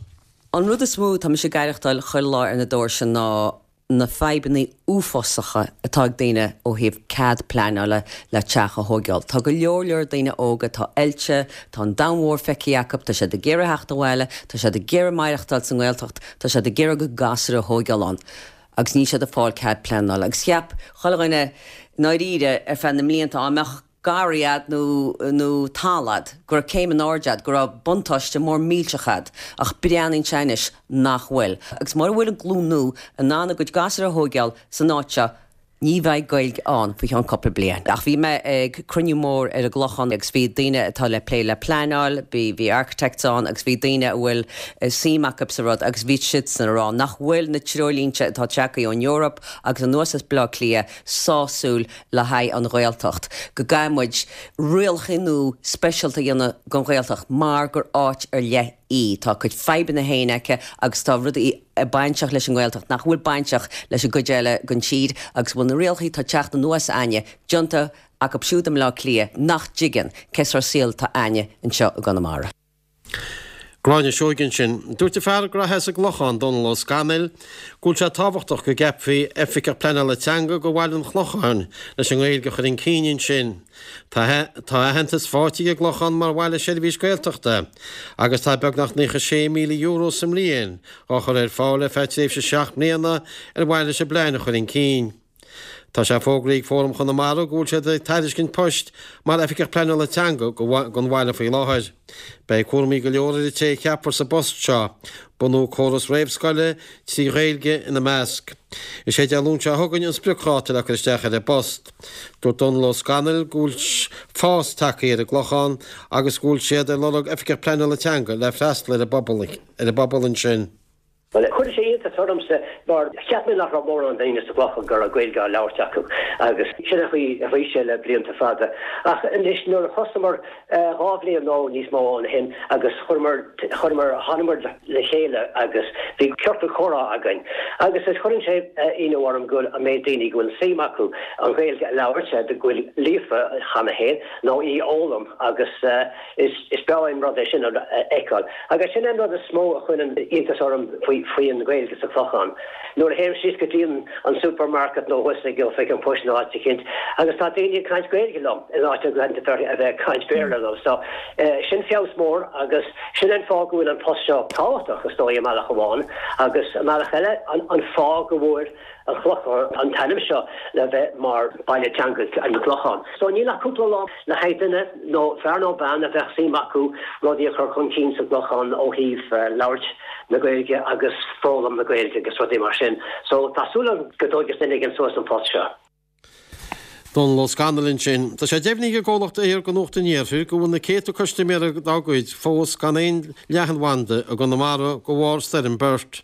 An rud is mó atá mise ag aireachtáil chuile lá ar na doirse ná na fadhbanna uafásacha atá ag daoine ó thaobh cead pleanála le teach a thóigeáil. Tá go leor leor daoine óga atá oilte, tá an domhan mhór feicthe acu, tá siad ag iarraidh theacht abhaile, tá siad ag iarraidh maireachtáil sa nGaeltacht, tá siad ag iarraidh a gcuid gasúr a thóigeáil ann agus níl siad ag fáil cead pleanála. Agus cheap chuile dhuine i ndáiríre ar feadh na mblianta, á mbeadh garraí a'd nó nó talamh a'd, go raibh céim in airde a'd, go raibh buntáiste mór millteach a'd, ach breathnaíonn sé anois nach bhfuil. Agus mura bhfuil an glúin nua in ann a gcuid gasúr a thóigeáil san áit seo, ní bheidh Gaeilge ann faoi cheann cúpla bliain. Ach bhí mé ag cruinniú mór ar an gClochán agus bhí daoine atá le plé le pleanáil, bhí bhí architects ann agus bhí daoine a bhfuil suim acu sa rud agus bhí siadsan ag rá nach bhfuil na treoirlínte atá tagtha ón Eoraip agus anuas as Baile Átha Cliath sásúil le haghaidh an Ghaeltacht, go gcaithfidh muid rialacha nua speisialta a dhéanamh don Ghaeltacht mar gur áit ar leith í. Tá a cuid fadhbanna féin aici agus tá rudaí bainteach leis an nGaeltacht nach bhfuil bainteach leis an gcuid eile den tír agus go bhfuil na rialacha atá ag teacht anuas a'inne déanta acu siúd i mBleá Cliath nach dtuigeann cén sórt saoil atá a'inne anseo i gConamara. Gráinne Seoige ansin. Dúirt an fear graithe as an gClochán, Dónal Ó Scanaill, go bhfuil sé tábhachtach go gceapfaí Oifigeach Pleanála Teanga go bhaile an Chlocháin leis an nGaeilge a chur chun cinn ansin. Tá aitheantas faighte ag an gClochán mar bhaile seirbhís Gaeltachta agus tá beagnach naocha sé míle euro sa mbliain á chur ar fáil ar feadh tréimhse seacht mbliana ar mhaithe leis an bplean a chur chun cinn. Tá sé fógraithe ag Fóram Chonamara go bhfuil siad ag tairiscint poist mar Oifigeach Pleanála Teanga don bhaile faoi láthair. Beidh cúraimí go leor ar an té a cheapfar sa bpost seo, bunú córas réamhscoile trí Ghaeilge ina measc. Is é Dé Luain seo chugainn an spriocdháta le cur isteach ar an bpost. Dúirt Dónal Ó Scanaill go bhfuil fás tagtha ar an gClochán agus go bhfuil siad ag lorg Oifigeach Pleanála Teanga le freastal ar an bpobal ansin. Bhuel, chuir sé iontas ormsa mar cheap mé nach raibh mórán daoine sa gClochán go raibh Gaeilge á labhairt acu agus sin an chaoi a bhí sé le blianta fada. Ach anois nuair a thosaíomar dhá bhliain nó níos mó ó shin agus chuireamar, chuireamar, thánamar le chéile agus bhí ciorcal comhrá againn agus is cuireann sé ionadh orm go bhfuil an méid daoine go bhfuil suim acu an Ghaeilge a labhairt, go bhfuil líofa cheana féin nó í a fhoghlaim agus Is breá an rud é sin a fheiceáil. Agus sin an rud is mó a chuireann iontas orm faoi an Ghaeilge sa Chlochán. Nuair a théim síos go dtí an supermarket nó thuas ag oifig an phoist nó áit eicínt agus tá daoine ag caint Gaeilge liom in áit a bheith ag caint Béarla liom. So, sin feabhas mór agus sin an fáth go bhfuil an post seo tábhachtach is dóigh i mbealach amháin agus i mbealach eile an fáth go bhfuair an Clochán an t-ainm seo le bheith mar baile teanga an Clochán. So níl ach cúpla lá le haghaidh duine nó fear nó bean a bheadh suim acu rudaí a chur chun cinn sa gClochán ó thaobh labhairt na Gaeilge agus foghlaim na Gaeilge agus rudaí mar sin. So tá súil agam go dtógfas duine éigin suas an post seo. Dónal Ó Scanaill ansin. Tá sé deimhnithe ag an gcomhlacht Eir do Nuacht an Iarthair go bhfuil na céadta custaiméara dá gcuid fós gan aon leathanbhanda i gConamara de bharr Stoirm Bert.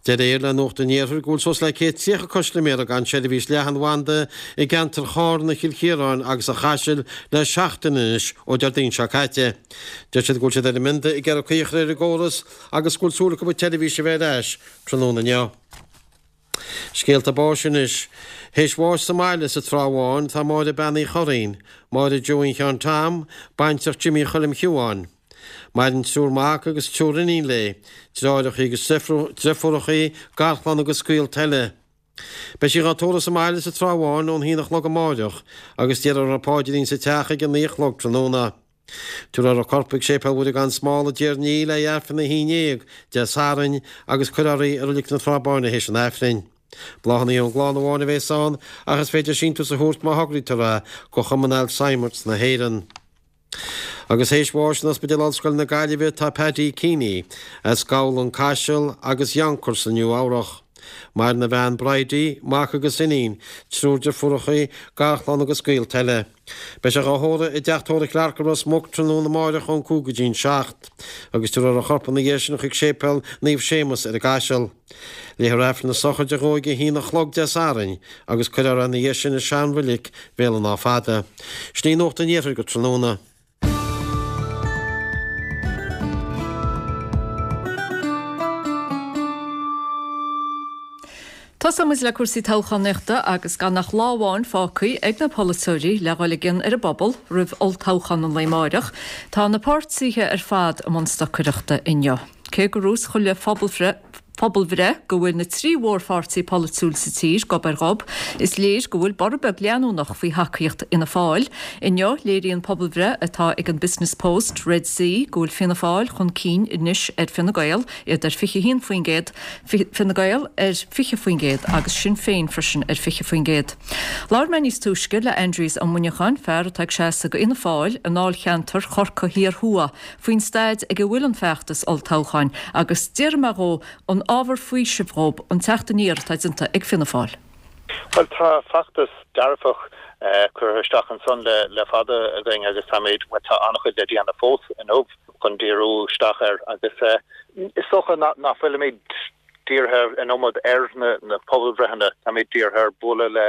Deir Eir le Nuacht an Iarthair go bhfuil suas le céad tríocha custaiméara gan seirbhís leathanbhanda i gceantar Chárna, Chill Chiaráin agus an Chaisil le seachtain anois ó Déardaoin seo caite. Deir siad go bhfuil siad ar an mbionda ag iarraidh caoi a chur ar an gcóras agus go bhfuil súil acu an tseirbhís a bheith ar ais tráthnóna inniu. Scéalta báis anois. Théis bháis sa mbaile sa Trá Bháin tá Máire Bean Uí Churraoin, Máire Joe Sheáin Tom, baintreach Jimí Choilm Shiubháin. Maireann triúr mac agus triúr iníon léi, deartháireachaí agus deirfiúrachaí, garchlann agus gaolta eile. Beidh sí dhá tórramh sa mbaile sa Trá Bháin ón haon a chlog amáireach agus déarfar an paidrín sa teach ag a naoi a chlog tráthnóna. Tabharfar a corp chuig Séipéal Mhuire gan Smál i dTír an Fhia le Aifreann a haon déag Dé Sathairn agus cuirfear í i Reilig na Trá Báine théis an Aifrinn. Bláthanna ón gclann amháin a bheas ann ach is féidir síntiús a thabhairt má thograítear é go Chumann Alzheimer's na hÉireann. Agus théis bháis in Ospidéal Ollscoile na Gaillimhe tá Paddy Keeney as Gabhla an Caiseal agus Yonkers i Nua Eabhrach. Maireann a bhean Bridie, mac agus iníon, triúr deirfiúracha, garchlann agus gaolta eile. Beidh sé dhá thórramh i dteach tórraimh Clarke i Ros Muc tráthnóna amáireach ón cúig go dtí'n seacht, agus tabharfar a chorp ina dhiaidh sin chuig Séipéal Naomh Séamus ar an gCaiseal. Léifear Aifreann na sochraide dhó ag a haon a chlog Dé Sathairn agus cuirfear é ina dhiaidh sin i sean-reilig Bhéal an Átha Fada. Sin í Nuacht an Iarthair go tráthnóna. Tosóidh muid le cúrsaí toghchánaíochta agus gan ach lá amháin fágtha ag na polaiteoirí le dhul i gcion ar an bpobal roimh olltoghchán an lae amáireach, tá na páirtithe ar fad i mbun stocaireachta inniu. Cé go raibh chuile phobalbhreith go bhfuil na trí mhórpháirtí polaitiúil sa tír gob ar ghob, is léir go bhfuil borradh beag leanúnach faoi thacaíocht Fhianna Fáil. Inniu, léiríonn pobalbhreith atá ag an Business Post, Red C, go bhfuil Fianna Fáil chun cinn anois ar Fine Gael, iad ar fiche a haon faoin gcéad, Fine Gael ar fiche faoin gcéad agus Sinn Féin freisin ar fiche faoin gcéad. Labhair mé níos túisce le Aindrias Ó Muineacháin, fear atá ag seasamh do Fhianna Fáil i ndáilcheantar Chorcaí Thiar Thuaidh, faoin staid ag a bhfuil an feachtas olltoghcháin agus d'iarr mé dhó an ábhar faoisimh dhób an teacht aniar atá déanta ag Fianna Fáil. Bhuel, tá feachtas dearfach curtha isteach ansan le fada againn agus táimid, bhuel, tá an-chuid le déanamh fós inniu chun díriú isteach air agus is dócha nach bhfuilimid dírithe an iomad ar na pobalbhreitheanna, táimid dírithe ar bualadh le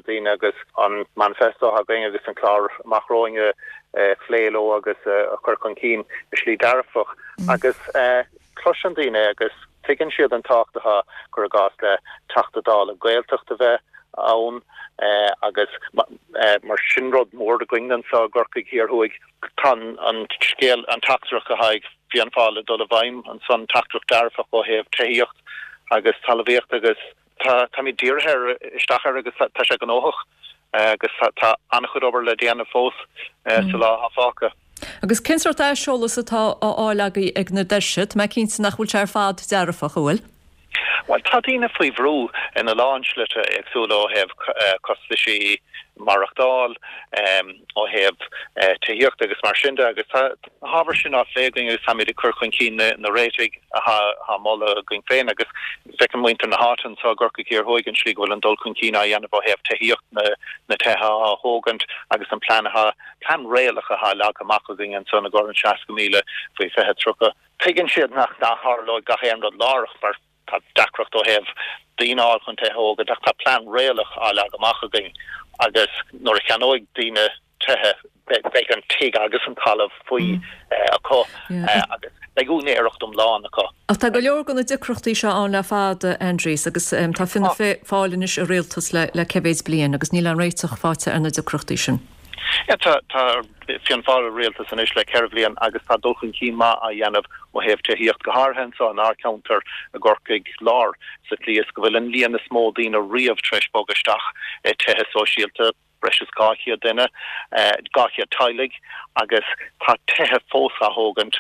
daoine agus an manifesto atá againn agus an clár amach romhainn a phlé leo agus a chur chun cinn i slí dearfach agus cloiseann daoine agus tuigeann siad an tábhacht atá, cuir i gcás, le Teachta Dála Gaeltachta a bheith ann agus mar sin rud mór againn anseo i gCorcaigh Thiar Thuaidh. Tá an scéal, an teachtaireacht atá ag Fianna Fáil ag dul i bhfeidhm ansan, teachtaireacht dearfach ó thaobh tithíocht agus talmhaíocht agus tá, táimid dírithe ar, isteach air agus tá sé gnóthach agus tá an-chuid obair le déanamh fós sa lá atá fágtha. Agus cén sórt aiseolas atá á fháil agaibh ag na doirse? Tá mé cinnte nach bhfuil sé ar fad dearfach, an bhfuil? Bhuel, tá daoine faoi bhrú ina lán slite éagsúla ó thaobh costaisí maireachtáil, ó thaobh tithíochta agus mar sin de agus tá na hábhair sin á phlé againn agus táimid ag cur chun cinn na réitigh atá á moladh againn féin agus feiceann muintir na háite anseo i gCorcaigh Thiar Thuaidh an tslí go bhfuil an dul chun cinn á dhéanamh ó thaobh tithíocht, na tithe á thógaint agus an plean atá, plean réalach atá leagtha amach againn ansan i gcomhair an seasca míle faoi fiche tríocha. Tuigeann siad nach dtarlóidh gach aon rud láithreach mar tá deacracht ó thaobh daoine a fháil chun tithe a thógaint ach tá plean réalach á leagadh amach againn agus nuair a cheannóidh daoine tithe beidh an tigh agus an talamh faoi acu agus beidh úinéireacht iomlán acu. Ach tá go leor de na deacrachtaí seo ann le fada, Aindrias, agus tá Fianna Fáil anois i rialtas le cé mhéid bliain agus níl aon réiteach faighte ar na deacrachtaí sin. Tá Fianna Fáil i rialtas anois le ceithre bhliain agus tá dul chun cinn maith á dhéanamh ó thaobh tithíocht, go háirithe anseo inár gceantar i gCorcaigh Láir, sa tslí is go bhfuil an líon is mó daoine riamh tar éis bogadh isteach i tithe sóisialta, breis is dhá chéad duine, dhá chéad teaghlaigh, agus tá tithe fós á thógaint,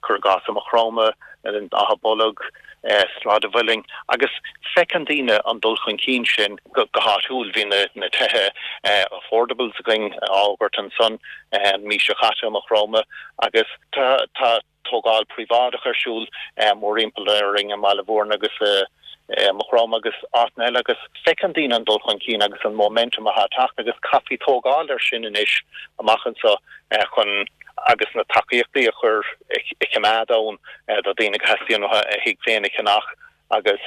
cuir i gcás i Maigh Chromtha, in Áth Bolg, Sráid an Mhuilinn, agus feiceann daoine an dul chun cinn sin go háitiúil. Bhí na tithe affordables againn á bhfógairt ansan an mhí seo caite i Maigh Chromtha agus tá tógáil príobháideach ar siúl mórthimpeall orainn i mBaile Mhúirne agus i Maigh Chromtha agus áiteanna eile agus feiceann daoine an dul chun cinn agus an momentum atá ag teacht agus caithfí tógáil air sin anois amach anseo chun agus na tacaíochtaí a chur a choimeád ann do dhaoine go theastaíonn uathu a thigh féin a cheannach agus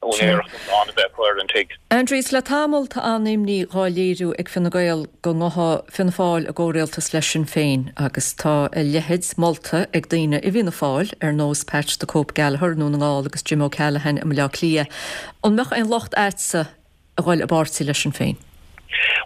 úinéireacht iomlán a bheith acu ar an tigh. Aindrias, le tamall tá an-imní dhá léiriú ag Fine Gael go ngabhfadh Fianna Fáil i gcomhrialtas le Sinn Féin agus tá a leithéid molta ag daoine i bhFianna Fáil ar nós Pat the Cope Gallagher i nDún na nGall agus Jim O'Callaghan i mBaile Átha Cliath. An mbeadh aon locht a'dsa a dhul i bpáirtí le Sinn Féin?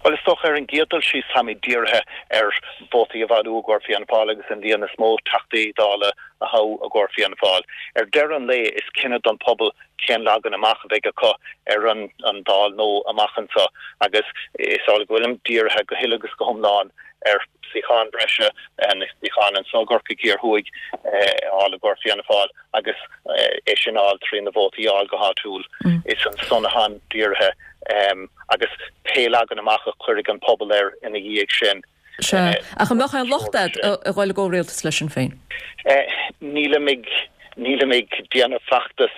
Bhuel, is dócha ar an gcéad dul síos táimid dírithe ar vótaí a bhailiú i gcomhair Fianna Fáil agus an líon is mó Teachtaí Dála a thoghadh i gcomhair Fianna Fáil. Ar deireadh an lae is cinneadh don phobal cén leagan amach a bheidh acu ar an an Dáil nua amach anseo agus is amhlaidh go bhfuilim dírithe go huile agus go hiomlán ar suíochán breise, na suíocháin anseo i gCorcaigh Thiar Thuaidh a fháil i gcomhair Fianna Fáil agus é sin a fháil trí na vótaí a fháil go háitiúil. Is ansan atáim dírithe agus pé leagan amach a chuirfidh an pobal air ina dhiaidh sin. Sea. Ach an mbeadh aon locht agat a dhul i gcomhrialtas le Sinn Féin? Nílim ag nílim ag déanamh feachtas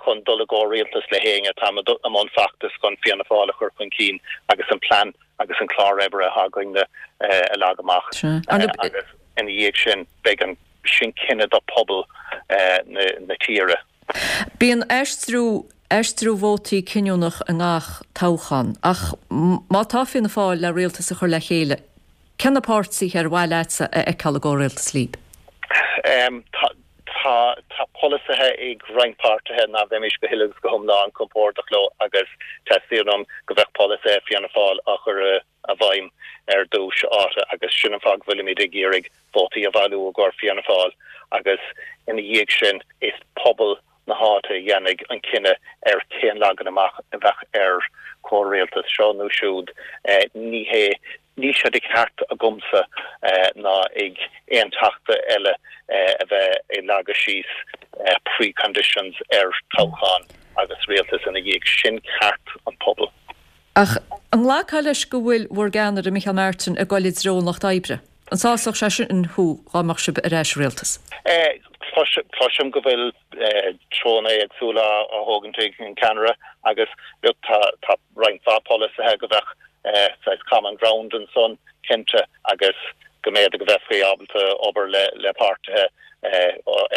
chun dul i gcomhrialtas le héinne. Táim i mbun feachtas chun Fianna Fáil a chur chun cinn agus an plean agus an clár oibre atá againne a leagan amach agus ina dhiaidh sin beidh an sin cinneadh do phobal na tíre. Bíonn aistriú aistriú vótaí cinniúnach i ngach toghchán ach má tá Fianna Fáil le rialtas a chur le chéile, cé na páirtithe ar mhaith leatsa a fheiceáil i gcomhrialtas libh? Tá tá polasaithe ag roinnt páirtithe ná bheimis go huile agus go hiomlán compordach leo agus teastaíonn uaim go bheadh polasaithe Fianna Fáil á chur i bhfeidhm ar dtús áite agus sin an fáth go bhfuilimid ag iarraidh vótaí a bhailiú i gcomhair Fianna Fáil agus ina dhiaidh sin is pobal na háite a dhéanfaidh an cinneadh ar cén leagan amach a bheadh ar chomhrialtas seo nó siúd. Ní hé Níl sé de cheart agamsa ná ag aon Teachta eile a bheith ag leagadh síos pre-conditions ar toghchán agus rialtas ina dhiaidh. Sin ceart an pobail. Ach an nglacfá leis go bhfuil bhur gceannaire, Micheál Martin, ag dul i dtreo an Lucht Oibre? An sásódh sé sin thú dá mbeadh sibh ar ais i rialtas? Cloisim go bhfuil treonna éagsúla á thógaint ag an ceannaire agus look tá tá roinnt mhaith polasaithe go bheadh saghas common ground ansan cinnte agus go mb'fhéidir go bheifí ábalta obair le le páirtithe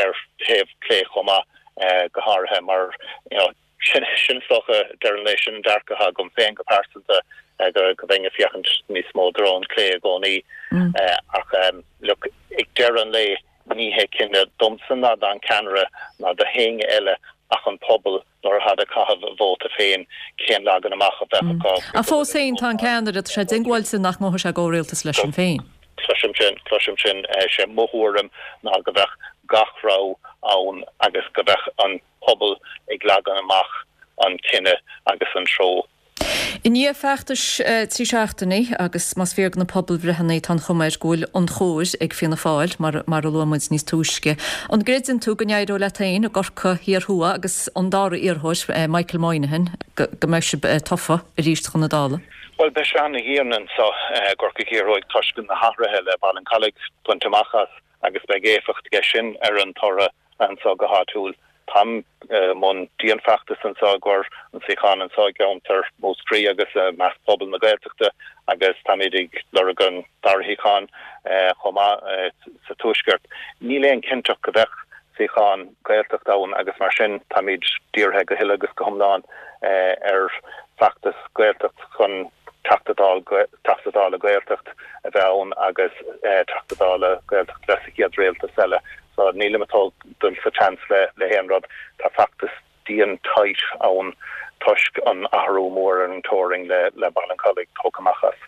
ar thaobh clé chomh maith go háirithe mar you know sin sin is dócha deireadh an lae sin an dearcadh atá agam féin go pearsanta go go bheinn ag féachaint níos mó i dtreo an clé i gcónaí ach look ag deireadh an lae ní hé cinneadh domsa ná don ceannaire ná do héinne eile ach an pobal nuair atá ag caitheamh a vóta féin cén leagan amach a bheadh acu. Ach fós féin tá an ceannaire, tá sé diongbháilte nach ngabhfaidh sé i gcomhrialtas le Sinn Féin. Cloisim sin, cloisim sin. Sé mo thuairim ná go bheadh gach rogha ann agus go bheadh an pobal ag leagan amach an cinneadh agus an treo. I ndiaidh feachtais trí seachtainí, agus más fíor do na pobalbhreitheanna tá an chuma air go bhfuil an chóir ag Fianna Fáil, mar mar a luaigh muid níos túisce, an gcreideann tú go n-éireoidh leat féin i gCorcaigh Thiar Thuaidh agus an dara iarrthóir, Michael Moynihan, go mbeidh sibh tofa arís chun na Dála? Bhuel, beidh sé ana-dhian anseo i gCorcaigh Thiar Thuaidh toisc na hathruithe le Baile an Chollaigh bainte amach as agus beidh éifeacht aige sin ar an toradh anseo go háitiúil. Táim i mbun dianfheachtais anseo i gcomhair an suíochán anseo i gceantar Mhúscraí agus i measc pobal na Gaeltachta agus táimid ag lorg an dara shuíochán chomh maith sa Tuaisceart. Níl aon chinnteacht go bheadh suíochán Gaeltachta ann agus mar sin táimid dírithe go huile agus go hiomlán ar feachtas Gaeltacht chun Teachta Teachta Dála Gaeltacht a bheith ann agus Teachta Dála Gaeltacht bheith sa chéad rialtas eile. So nílim ag dul sa tseans le le haon rud. Tá feachtas dian tight ann toisc an athrú mór ar an teorainn le le Baile an Chollaigh tógtha amach as.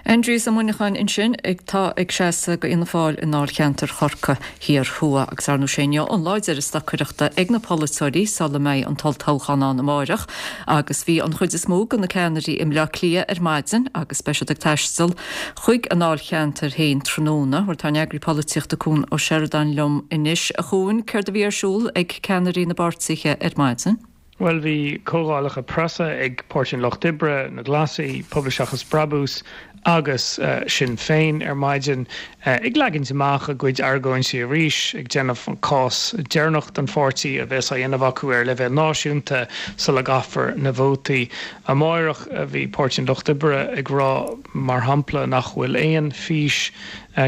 Aindrias Ó Muineacháin ansin atá ag seasamh do Fhianna Fáil i ndáilcheantar Chorcaí Thiar Thuaidh agus ar ndóigh sé inniu an lá deiridh stocaireachta ag na polaiteoirí sula mbeidh an t-olltoghchán ann amárach agus bhí an chuid is mó de na ceannairí i mBleá Cliath ar maidin agus beidh siad ag taisteal chuig a ndáilcheantair féin tráthnóna. Bhuel tá an eagraí polaitíochta Cuan Ó Seireadáin liom anois. A Chuain, céard a bhí ar siúl ag ceannairí na bpáirtithe ar maidin? Bhuel, bhí comhdhálacha preasa ag Páirtí an Lucht Oibre, na Glasaigh, Pobal Seachas Brabús agus Sinn Féin ar maidin, ag leagaint amach a gcuid argóintí arís, ag déanamh an cás deireanach don pháirtí a bheas á dhéanamh acu ar leibhéal náisiúnta sula gcaithfear na vótaí. Amárach, bhí Páirtí an Lucht Oibre ag rá, mar shampla, nach bhfuil aon fhís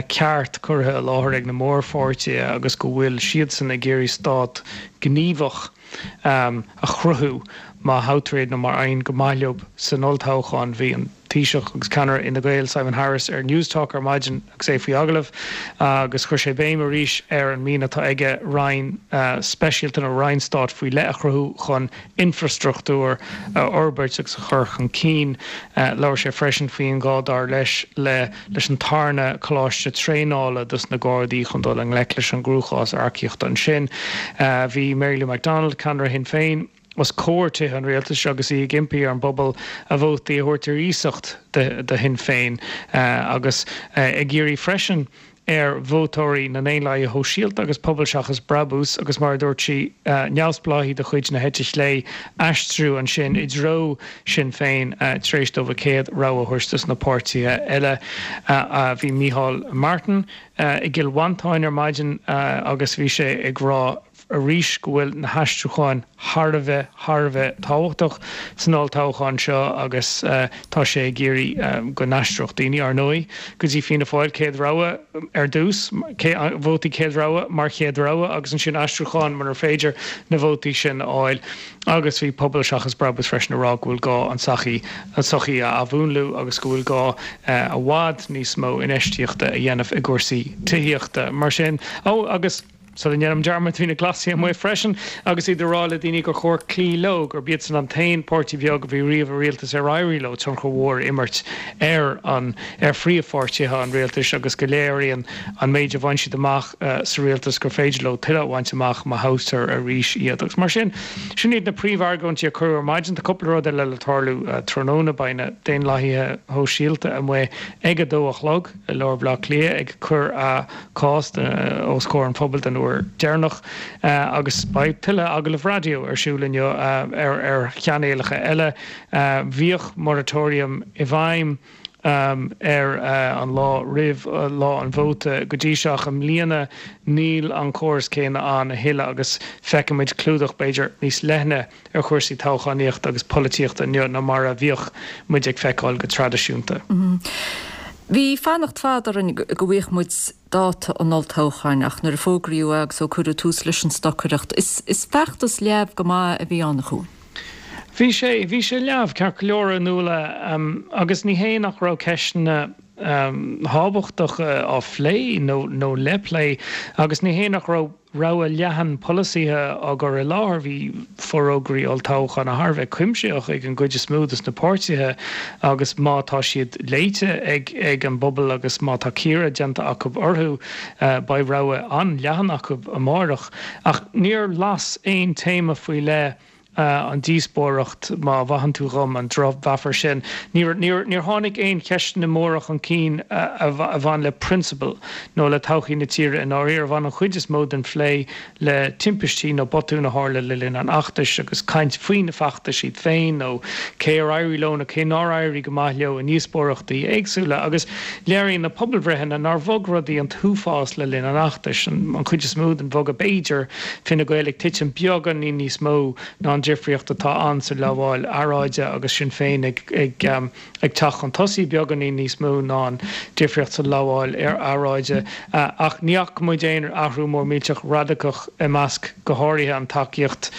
ceart curtha i láthair ag na mórpháirtithe agus go bhfuil siadsan ag iarraidh stát gníomhach a chruthú má thoghtar iad nó má éiríonn go maith leo san olltoghchán. Bhí an Taoiseach agus ceannaire Fhine Gael, Simon Harris, ar Newstalk ar maidin agus é faoi agallamh agus chuir sé béim arís ar an mian atá aige roinn speisialta nó roinn stáit faoi leith a chruthú chun infrastruchtúr a fhorbairt agus a chur chun cinn. Labhair sé freisin faoin ngá, dar leis, le leis an tarna coláiste traenála dos na Gardaí chun dul i ngleic leis an gcruachás earcaíochta ansin. Bhí Mary Lou McDonald, ceannaire Shinn Féin, os comhair Tithe an Rialtais agus í ag impí ar an bpobal a vótaí a thabhairt ar iasacht do Shinn Féin agus ag iarraidh freisin ar vótóirí na nDaonlathaithe Shóisialta agus Pobal Seachas Brabús agus mar a dúirt sí neamhspleáigh de chuid na heite chlé aistriú ansin i dtreo Sinn Féin tar éis dóibh a céad rogha a thabhairt dos na páirtithe eile. Bhí Micheál Martin i gCill Mhantáin ar maidin agus bhí sé ag rá arís go bhfuil na haistriúcháin thar a bheith, thar a bheith tábhachtach san olltoghchán seo agus tá sé ag iarraidh go n-aistreodh daoine, ar ndóigh, go dtí Fianna Fáil, céad rogha ar dtús, vótaí céad rogha mar chéad rogha agus ansin aistriúcháin munar féidir na vótaí sin a fháil. Agus bhí Pobal Seachas Brabús freisin ag rá go bhfuil gá an tsochaí, an tsochaí a athmhúnlú agus go bhfuil gá i bhfad níos mó infheistíochta a dhéanamh i gcúrsaí tithíochta. Mar sin, ó agus. Sula ndéanaim dearmad, bhí na Glasaigh amuigh freisin agus iad ag rá le daoine gur chóir cloí leo, gurb iadsan an t-aon páirtí beag a bhí riamh i rialtas ar éirigh leo tionchar mhór a imirt ar an ar phríomhpháirtithe an rialtais agus go léiríonn an méid a bhain siad amach sa rialtas gur féidir leo tuilleadh a bhaint amach má thoghtar arís iad. Agus mar sin, sin iad na príomhargóintí a cuireadh ar maidin. Tá cúpla rud eile le tarlú tráthnóna. Beidh na Daonlathaithe Shóisialta amuigh ag a dó a chlog i lár Bhaile Átha Cliath ag cur a gcás os comhair an phobail den uair deireanach agus beidh tuilleadh agallamh raidió ar siúl inniu ar chainéalacha eile. Bhíodh moratorium i bhfeidhm ar an lá roimh lá an vóta go dtí seo ach i mbliana níl an córas céanna ann a thuilleadh agus feicfimid clúdach b'fhéidir níos leithne ar chúrsaí toghchánaíochta agus polaitíochta inniu ná mar a bhíodh muid ag feiceáil go traidisiúnta. Bhí fanacht fada orainn go bhfaigheadh muid dáta an olltoghcháin ach nuair a fógraíodh é agus ó cuireadh tús leis an stocaireacht, is is feachtas leamh go maith a bhí ann a Chuain. Bhí sé, bhí sé leamh, ceart go leor, a Nuala, agus ní hé nach raibh ceisteanna tábhachtacha á phlé nó nó le plé agus ní hé nach raibh rogha leathan polasaithe á gcur i láthair. Bhí forógraí olltoghcháin thar a bheith cuimsitheach ag an gcuid is mó de na páirtithe agus má tá siad léite ag ag an bpobal agus má tá cíoradh déanta acu orthu, beidh rogha an-leathan acu amárach. Ach níor las aon téama faoi leith an díospóireacht, má mhaitheann tú dhom an drochmheafar sin. Níor níor tháinig aon cheisteanna móra chun cinn a bhain le prionsabail nó le todhchaí na tíre i ndáiríre. Bhain an chuid is mó den phlé le timpistí nó botúin a tharla le linn an fheachtais agus caint faoi na feachtais iad féin nó cé ar éirigh leo nó cé nár éirigh go maith leo i ndíospóireachtaí éagsúla. Agus léiríonn na pobalbhreitheanna nár bhog rudaí an t-uafás le linn an fheachtais, an chuid is mó den bhogadh b'fhéidir, Fine Gael ag titim beagáinín níos mó ná an difríocht atá ann sa lamháil earráide agus Sinn Féin ag ag teacht chun tosaigh beagáinín níos mó ná an difríocht sa lamháil earráide. Ach ní fhaca muid aon athrú mór millteach radacach i measc go háirithe an tacaíocht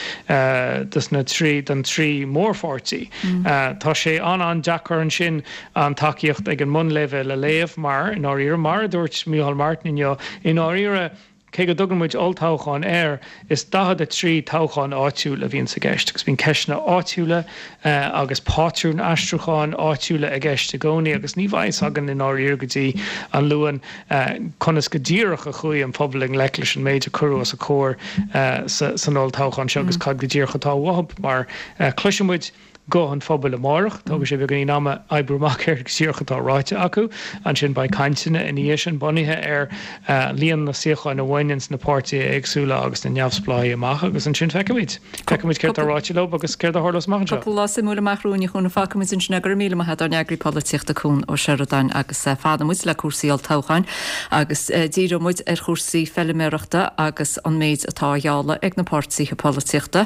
dos na trí don trí mórpháirtí. Tá sé an-an-deacair ansin an tacaíocht ag an mbunleibhéal a léamh mar, i ndáiríre, mar a dúirt Micheál Martin inniu, i ndáiríre, Cé go dtugann muid olltoghchán air, is daichead a trí toghchán áitiúil a bhíonns i gceist, agus bíonn ceisteanna áitiúla agus pátrúin aistriúcháin áitiúla i gceist i gcónaí, agus ní bheidh fhios againn i ndáiríre go dtí an Luan conas go díreach a chuaigh an pobal i ngleic leis an méid a cuireadh os a comhair san olltoghchán seo agus cad go díreach atá uathu, mar cloisfidh muid guth an phobail amárach. Tógfaidh sé beagáinín ama oibriú amach céard go díreach atá ráite acu. Ansin beidh cainteanna ina dhiaidh sin bunaithe ar líon na suíocháin a bhaineanns na páirtithe éagsúla agus na neamhspleáigh amach agus ansin feicfimid. Feicfimid céard atá ráite leo agus céard a tharlós amach anseo. Cúpla lá suimiúil amach romhainn a Chuain. Fágfaimid ansin é. Go raibh míle maith agat ár n-eagraí polaitíochta Cuan Ó Seireadáin agus fanfaidh muid le cúrsaí olltoghcháin agus díreoidh muid ar chúrsaí feiliméarachta agus an méid atá á ghealladh ag na páirtithe polaitíochta.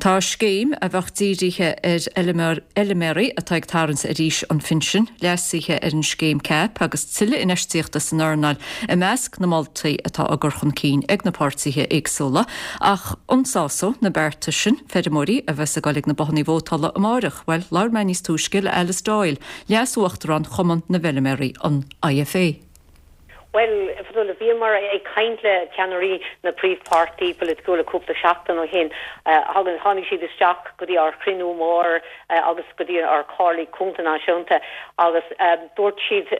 Tá scéim a bheadh dírithe ar fheilméaraí atá ag tarraingt ar aois an phinsin, leasuithe ar an scéim CAP agus tuilleadh infheistíochta san earnáil i measc na moltaí atá á gcur chun cinn ag na páirtithe éagsúla. Ach an sásóidh na bearta sin feirmeoirí a bheas ag dul ag na bothanna vótála amárach? Bhuel, labhair mé níos túisce le Alice Doyle, Leas-Uachtarán Chumann na bhFeilméaraí, an IFA. Bhuel, Fionnuala, bhíomar ag caint le ceannairí na príomhpháirtí polaitiúla cúpla seachtain ó shin. Tháinig siad isteach go dtí ár chruinniú mór agus go dtí ár Comhairle Contae Náisiúnta agus dúirt siad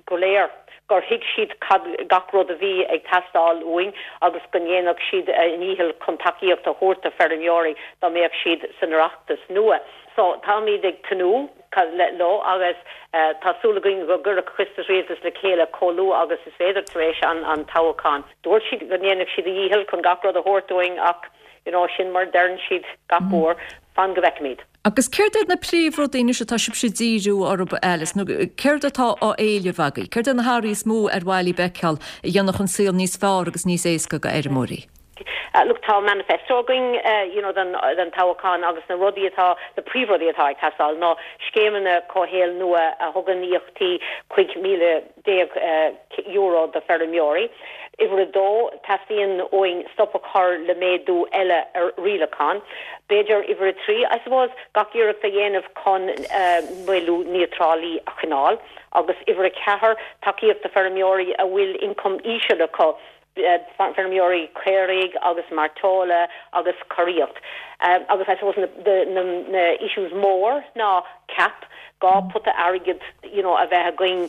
go léir gur thuig siad cad gach rud a bhí ag teastáil uainn agus go ndéanfadh siad a ndícheall chun tacaíocht a thabhairt do feirmeoirí dá mbeadh siad san Oireachtas nua. So táimid ag tnúth leo agus tá súil againn go gcuirfeadh Coiste Rialtais le chéile chomh luath agus is féidir tar éis an toghcháin. Dúirt siad go ndéanfadh siad a dhícheall chun gach rud a thabhairt dúinn ach you know sin mar a deireann siad gach uair, fan go bhfeicfimid. Agus céard iad na príomhrudaí anois atá sibhse ag díriú orthu, Alice, nó céard atá á éileamh agaibh? Céard iad na hathruithe is mó ar mhaith libh a fheiceáil a dhéanfadh an saol níos fearr agus níos éasca do fheirmeoirí? Look, tá manifesto againn you know don don toghchán agus na rudaí atá, na príomhrudaí atá ag teastáil ná scéimeanna comhshaoil nua a thugann íocaíochtaí cúig míle déag euro do feirmeoirí. Uimhir a dó, teastaíonn uainn stop a chur le méadú eile ar rialacháin. B'fhéidir uimhir a trí, I suppose, gach iarracht a dhéanamh chun maolú níotráití a choinneáil. Agus uimhir a ceathair, tacaíocht do feirmeoirí a bhfuil ioncam íseal acu, feirmeoirí caoirigh agus mairteola agus curaíocht. Agus I suppose na na issues mór ná CAP, dhá pota airgid you know a bheith againn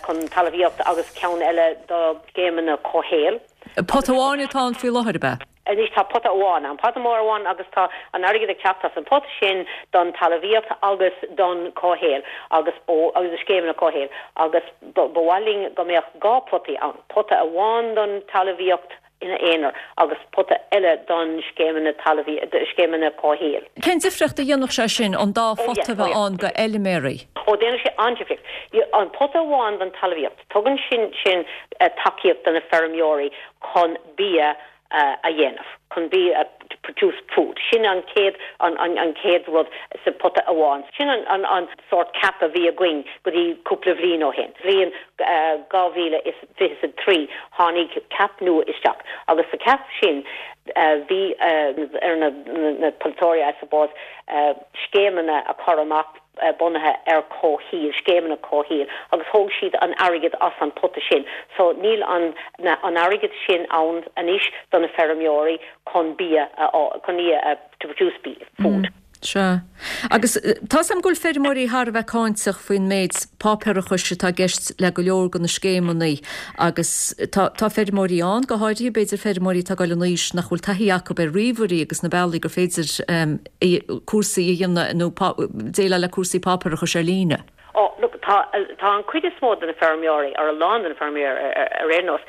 chun talmhaíocht agus ceann eile do scéimeanna comhshaoil. Pota amháin atá ann faoi láthair, ab ea? Anois tá pota amháin ann, pota mór amháin agus tá an airgead ag teacht as an pota sin don talmhaíocht agus don comhshaol agus ó agus do scéimeanna comhshaoil agus ba mhaith linn go mbeadh dhá potaí ann, pota amháin don talmhaíocht ina aonar agus pota eile don scéimeanna talmhaí, scéimeanna comhshaoil. Cén difríocht a dhéanfadh sé sin, an dá phota a bheith ann do fheilméaraí? Ó, déanann sé an-difríocht. An pota amháin don talmhaíocht, tugann sin sin tacaíocht do na feirmeoirí chun bia a dhéanamh, chun bia, to produce food. Sin an chéad, an, an chéad rud sa pota amháin. Sin an, an, an sórt CAP a bhí againn go dtí cúpla bhliain ó shin. Bhliain dhá mhíle is fiche a trí tháinig CAP nua isteach agus sa CAP sin bhí ar na, na polaiteoirí I suppose, scéimeanna a chur amach bunaithe ar comhshaoil, scéimeanna comhshaoil, agus thóg siad an airgead as an pota sin. So níl an an airgead sin ann anois do na feirmeoirí chun bia a chun bia a to produce food. Sea. Agus tá's agam go bhfuil feirmeoirí thar a bheith cáinteach faoin méid páipéarachais atá i gceist le go leor de na scéimeanna agus tá tá feirmeoirí ann, go háirithe b'fhéidir feirmeoirí atá ag dul in aois nach bhfuil taithí acu ar ríomhairí agus na bealaí gur féidir cúrsaí a dhéanamh nó déileáil le cúrsaí páipéarachais ar líne. Ó, look, tá, tá an cuid is mó de na feirmeoirí, or a lán de na feirmeoirí ar aon nós,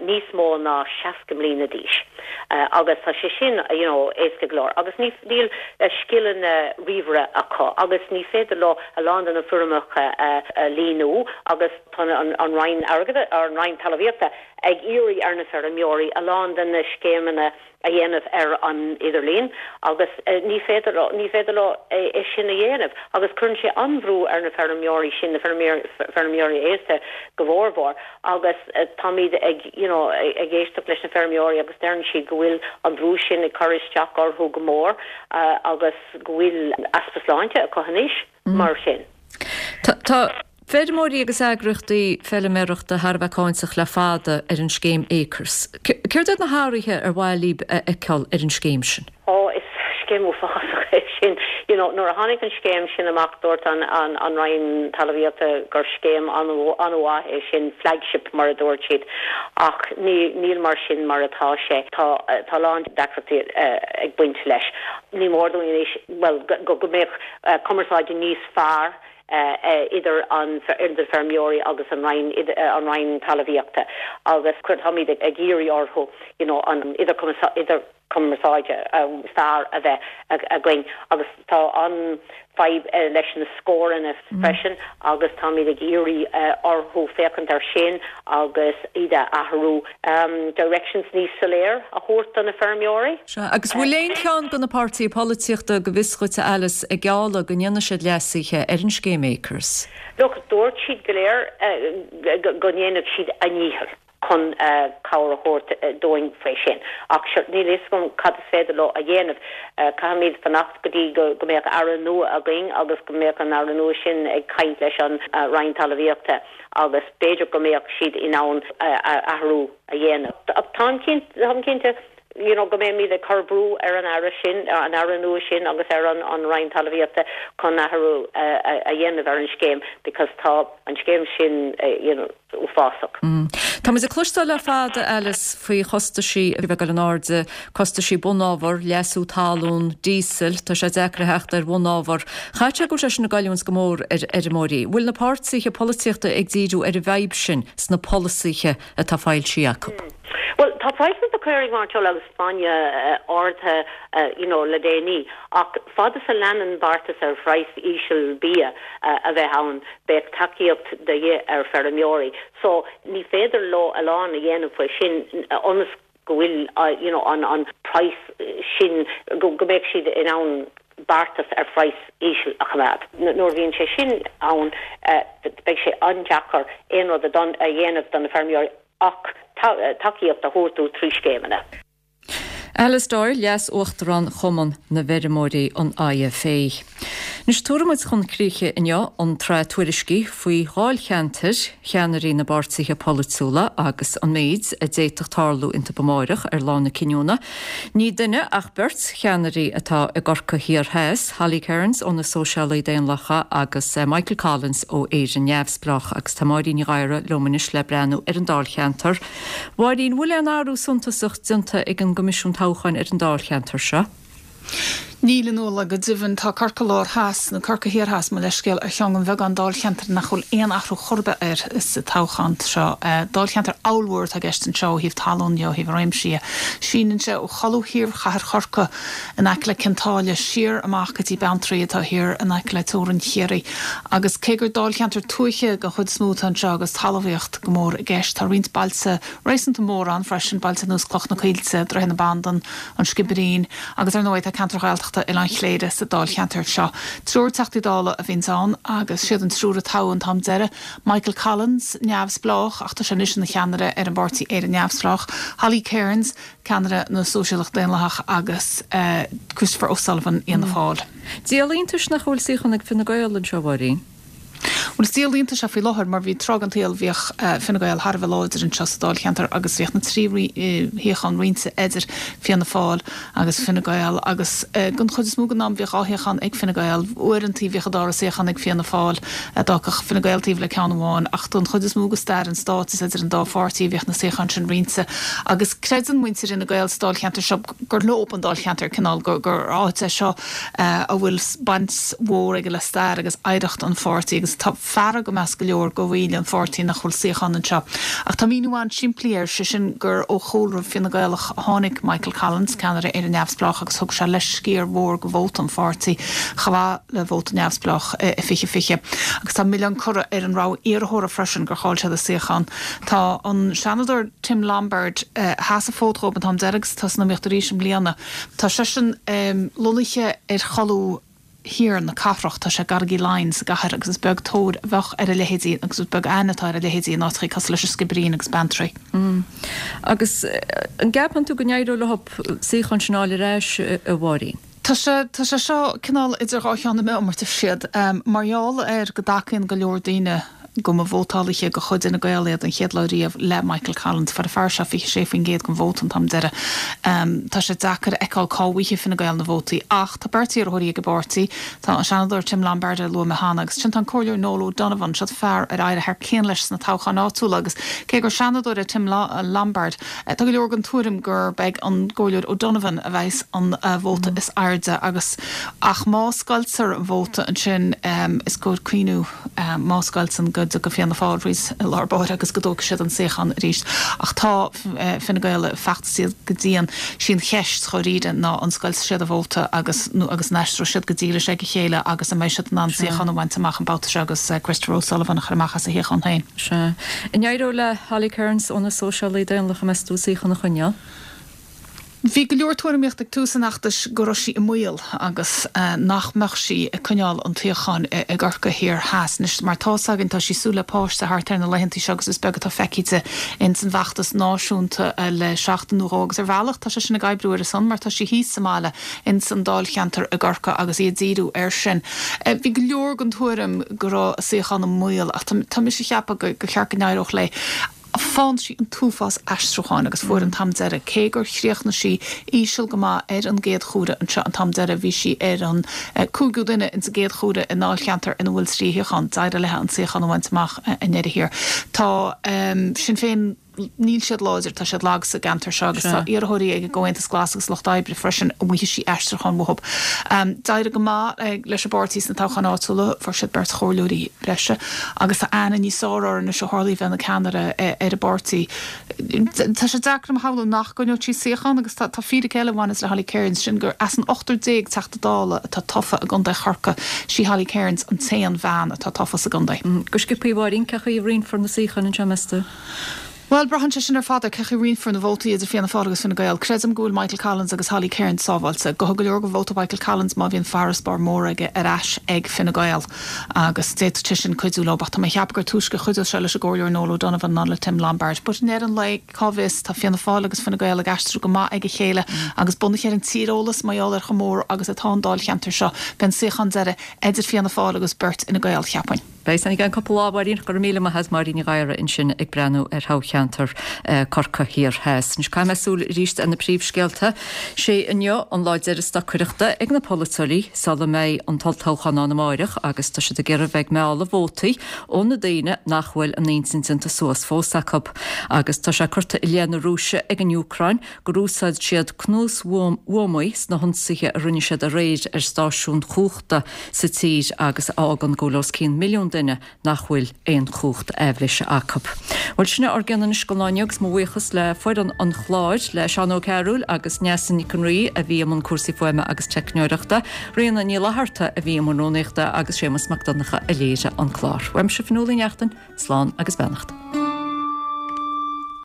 níos mó ná seasca mbliana d'aois agus tá sé sin, you know, éasca go leor agus ní, níl scileanna ríomhaire acu agus ní féidir leo a lán de na foirmeacha a líonadh agus tá an, an Roinn Airgeadais, or an Roinn Talmhaíochta ag iarraidh ar na feirmeoirí a lán de na scéimeanna a dhéanamh ar an idirlíon agus ní féidir leo, ní féidir leo é sin a dhéanamh agus cuireann sé an-bhrú ar na feirmeoirí sin, na feirmeoirí aosta go mórmhór agus táimid ag you know ag éisteacht leis na feirmeoirí agus deireann siad go bhfuil an brú sin ag cur isteach orthu go mór agus go bhfuil easpa sláinte acu anois mar sin. Tá feirmeoirí agus eagraíochtaí feilméarachta thar a bheith cáinteach le fada ar an scéim Acres. Céard iad na hathruithe ar mhaith libh a fheiceáil ar an scéim sin? Ó, is scéim uafásach é sin. You know, nuair a tháinig an scéim sin amach dúirt an, an, an Roinn Talmhaíochta gur scéim an-mhaith é sin, flagship mar a dúirt siad. Ach ní, níl mar sin mar atá sé. Tá, tá a lán deacrachtaí ag baint leis. Ní mór dúinn anois, bhuel, go, go mbeadh cumarsáid níos fearr idir an idir feirmeoirí agus an Roinn an Roinn Talmhaíochta agus táimid ag iarraidh orthu you know an idir idir cumarsáide is fearr a bheith againn agus tá an fadhb leis na scóranna freisin agus táimid ag iarraidh orthu féachaint ar sin agus iad a athrú. Directions níos soiléir a thabhairt do na feirmeoirí. Sea, agus bhfuil aon cheann de na páirtithe polaitíochta go bhfios dhuit, a Alice, ag gealladh go ndéanfaidh siad leasuithe ar an scéim Acres? Look, dúirt siad go léir go ndéanfadh siad a ndícheall chun cabhair a thabhairt dúinn faoi sin. Ach sure, níl a fhios agam cad is féidir leo a dhéanamh. Caithfimid fanacht go dtí go mbeadh Aire nua againn agus go mbeadh an Aire nua sin ag caint leis an Roinn Talmhaíochta agus b'fhéidir go mbeadh siad in ann athrú a dhéanamh. Ach táim cinnte you know, go mbeimid ag cur brú ar an Aire sin, an Aire nua sin agus ar an an Roinn Talmhaíochta chun athrú a dhéanamh ar an scéim because tá an scéim sin you know, uafásach. Tá muid ag cloisteáil le fada, Alice, faoi chostaisí a bheith ag dul in airde, costaisí bunábhar, leasú talún, díosal, tá sé deacair a theacht ar bhunábhar. Chaithfeadh sé go bhfuil sé sin ag goilliúint go mór ar fheirmeoirí. Bhfuil na páirtithe polaitíochta ag díriú ar an bhfadhb sin sna polasaithe atá foilsithe acu? Bhuel, tá praghsanna do chaoirigh mairteola agus bainne ardaithe you know, le déanaí, ach fad is a leanann beartas ar phraghas íseal bia a bheith ann, beidh tacaíocht de dhíth ar feirmeoirí. So, ní féidir leo a lán a dhéanamh faoi sin ionas go bhfuil you know, an, an praghas sin, go, go mbeidh siad in ann beartas ar phraghas íseal a choimeád. Nuair a bhíonn sé sin ann, beidh sé an-deacair aon rud a dhéanamh do na feirmeoirí ach tacaíocht a thabhairt dóibh trí scéimeanna. Alice Doyle, Leas-Uachtarán Chumann na bhFeirmeoirí, an IFA. Anois tabharfaidh muid chun críche inniu an tsraith tuairiscí faoi dháilcheantair cheannairí na bpáirtithe polaitiúla agus an méid a d'fhéadfadh tarlú iontu amáireach ar lá na cinniúna. Ní duine ach beirt cheannairí atá i gCorcaigh Thiar Theas, Holly Cairns ó na Sóisialaigh Daonlathacha agus Michael Collins ó Éire Neamhspleách agus tá Máirín Ní Ghadhra liom anois le breathnú ar an dáilcheantar. Mháirín, bhfuil aon athrú suntasach déanta ag an gCoimisiún Toghcháin ar an dáilcheantar seo? Níl, a Nuala, go deimhin, tá Corcaigh Láir Theas, nó Corcaigh Thiar Theas, mo leithscéal, ar cheann den bheagán dáilcheantar nach bhfuil aon athrú chor ar bith air sa toghchán seo. Dáilcheantar ollmhór atá i gceist anseo ó thaobh talún dhe, ó thaobh réimsí dhe. Síneann sé ó cholbha thiar chathair Chorcaí in aice le Cionn tSáile siar amach go dtí Beanntraí atá thiar in aice le teorainn Chiarraí. Agus cé gur dáilcheantar tuaithe den chuid is mó atá anseo agus talmhaíocht go mór i gceist, tá roinnt bailte réasúnta mór ann freisin, bailte ar nós Cloich na Coillte, Droichead na Bandan, An Sciobairín agus ar ndóigh tá ceantar Ghaeltachta Oileán Chléire sa dáilcheantar seo. Triúr Teachtaí Dála a bhíonns ann agus siad an triúr a toghadh an t-am deiridh, Michael Collins, neamhspleách ach tá sé anois ina cheannaire ar an bpáirtí Éire Neamhspleách, Holly Cairns, ceannaire na Sóisialach Daonlathach agus Christopher O'Sullivan, Fhianna Fáil. Díol iontais nach bhfuil suíochán ag Fine Gael anseo, a Mháirín. Bhuel, is díol iontais é faoi láthair mar bhí tráth den tsaol bhíodh Fine Gael thar a bheith láidir anseo sa dáilcheantar agus bhíodh na trí shuíochán roinnte idir Fianna Fáil agus Fine Gael agus den chuid is mó den am bhíodh dhá shuíochán ag Fine Gael. Uaireanta bhíodh an dara suíochán ag Fianna Fáil, d'fhágfadh Fine Gael taobh le ceann amháin ach den chuid is mó de stair an stáit is idir an dá pháirtí a bhíodh na suíocháin sin roinnte agus creideann muintir Fhine Gael sa dáilcheantar seo gur leo an dáilcheantar, cineál gur áit é seo a bhfuil baint mhór aige le stair agus oidhreacht an pháirtí agus tá fearg i measc go leor de bhaill an pháirtí nach bhfuil suíochán anseo. Ach tá míniú an-simplí air, sé sin gur ó chúlra Fine Gaelach a tháinig Michael Collins, ceannaire Éire Neamhspleách agus thug sé leis sciar mhór de vóta an pháirtí chomh maith le vóta neamhspleách i fiche fiche. Agus tá milleán curtha ar an rogha iarrthóra freisin gur chaill siad a suíochán. Tá an Seanadóir Tim Lombard, a sheas an fód dhóibh an t-am deiridh agus atá san iomaíocht arís i mbliana, tá seisean lonnaithe ar cholbha thiar na cathrach, tá sé i gCarraig Uí Leighin sa gcathair agus is beag tóir a bheadh ar a leithéidí agus is beag aithne atá ar a leithéidí in áiteachaí cosúil leis an Sciobairín agus Beanntraí. Agus an gceapann tú go n-éireoidh leo suíochán sin a fháil ar ais, a Mháirín? Tá sé, tá sé seo cineál idir dhá cheann na meá, mar a deir siad. Mar gheall ar go dtacaíonn go leor daoine go mba vótálaithe de chuid Fhine Gael iad an chéad lá riamh le Michael Collins, fuair an fear seo fiche sé faoin gcéad den vóta an t-am deiridh. Tá sé deacair a fheiceáil cá bhfaighidh Fine Gael na vótaí ach tá beirt iarrthóirí ag an bpáirtí, tá an Seanadóir Tim Lombard a luaigh mé cheana agus ansin tá an Comhairleoir Noel O'Donovan, seo fear ar éirigh thar cionn leis sna toghcháin áitiúla agus cé gur Seanadóir é Tim Lombard, Tá go leor den tuairim gurb ag an gComhairleoir O'Donovan a bheas an vóta is airde agus ach má scoiltear an vóta ansin is cóir cuimhniú má scoilteann go go dtiocfaidh Fianna Fáil arís i lár báire agus go dtógfaidh siad an suíochán arís. Ach tá Fine Gael ag feachtasaíocht go dian. Sí an cheist dháiríre ná an scoiltfidh siad an vóta agus nó agus an aistreoidh siad go dílis ag a chéile agus an mbeidh siad in ann suíochán a bhaint amach an babhta seo agus Christopher O'Sullivan a chur amach as a shuíochán féin. Sea. An éireoidh le Holly Cairns ó na Sóisialaigh Daonlathacha meas tú suíochán a choinneáil? Bhí go leor tuairimíocht ag tús an fheachtais go raibh sí i mbaol agus nach mbeadh sí ag coinneáil an tsuíocháin i gCorcaigh Thiar Theas. Anois, mar tá's againn, tá sí ag súil le páiste thart ar na laethantaí seo agus is beag atá feicthe di ins an bhfeachtas náisiúnta le seachtain nó dhó agus ar bhealach tá sé sin ag oibriú ar a son mar tá sí thíos sa mbaile ins an dáilcheantar i gCorcaigh agus í ag díriú air sin. Bhí go leor den tuairim go raibh a suíochán i mbaol ach tá mise ag ceapadh gur cheart go n-éireodh léi. Faigheann sí an t-uafás aistriúcháin agus fuair an t-am deiridh, cé gur chríochnaigh sí íseal go maith ar an gcéad chuaire anseo an t-am deiridh, bhí sí ar an cúigiú duine ins an gcéad chuaire i ndáilcheantar ina bhfuil trí shuíochán. D'éirigh léi an suíochán a bhaint amach i ndeireadh thiar. Tá Sinn Féin, níl siad láidir, tá siad lag sa gceantar seo agus tá iarrthóirí ag an gComhaontas Glas agus Lucht Oibre freisin a bhfaighidh sí aistriúchán uathu. D'éirigh go maith leis an bpáirtí sna toghcháin áitiúla, fuair siad beirt chomhairleoirí breise agus tá aithne níos fearr orthu anois ó tharla í bheith ina ceannaire ar an bpáirtí. Tá sé deacair dom a shamhlú nach gcoinneodh sí suíochán agus tá fíric eile a bhaineas le Holly Cairns, sin gur as an ochtar déag Teachta Dála atá tofa i gContae Chorcaí, sí Holly Cairns an t-aon bhean atá tofa sa gcontae. Go sciobtha, a Mháirín, cén chaoi a roinnfear na suíocháin anseo, meas tú? Bhuel, braitheann sé sin ar fad ar cén chaoi a roinnfear na vótaí idir Fianna Fáil agus Fine Gael. Creidim go bhfuil Michael Collins agus Holly Cairns sábháilte. Gabhfaidh go leor de vóta Mhichael Collins má bhíonn farasbarr mór aige ar ais ag Fine Gael agus d'fhéadfadh sé sin cuidiú leo. Ach tá mé ag ceapadh gur túisce a chuideodh sé leis an gComhairleoir Noel O'Donovan ná le Tim Lombard. But i ndeireadh an lae, cá bhfios, tá Fianna Fáil agus Fine Gael ag aistriú go maith ag a chéile agus bunaithe ar an tíreolas mar gheall ar chomh mór agus atá an dáilcheantar seo, beidh an suíochán deiridh idir Fianna Fáil agus beirt Fhine Gael, cheapfainn. Beidh san i gceann cúpla lá, a Mháirín. Go raibh míle maith agat, Máirín Ní Ghadhra ansin ag breathnú ar thoghcheantar Corcaigh Thiar Theas. Anois caithfidh mé súil arís ar na príomhscéalta. Sé inniu an lá deiridh stocaireachta ag na polaiteoirí sula mbeidh an t-olltoghchán ann amáireach agus tá siad ag iarraidh bheith ag mealladh vótaí ó na daoine nach bhfuil a n-intinn déanta suas fós acu. Agus tá sé curtha i leith na Rúise ag an Úcráin gur úsáid siad cnuas-bhuamaí sna hionsaithe a rinne siad aréir ar stáisiún cumhachta sa tír agus a fhágann go bhfuil os cionn milliún duine nach bhfuil aon chumhacht aibhléise acu. Bhuel, sin é ár gcion anois don lá inniu agus mo bhuíochas le foireann an chláir, le Seán Ó Cearúil agus Neasa Nic an Rí a bhí i mbun cúrsaí fuaime agus teicneoireachta, Ríona Ní Fhlatharta a bhí i mbun rúnaíochta agus Séamus Mac Donncha a léirigh an clár. Uaimse Fionnuala Ní Neachtain, slán agus beannacht.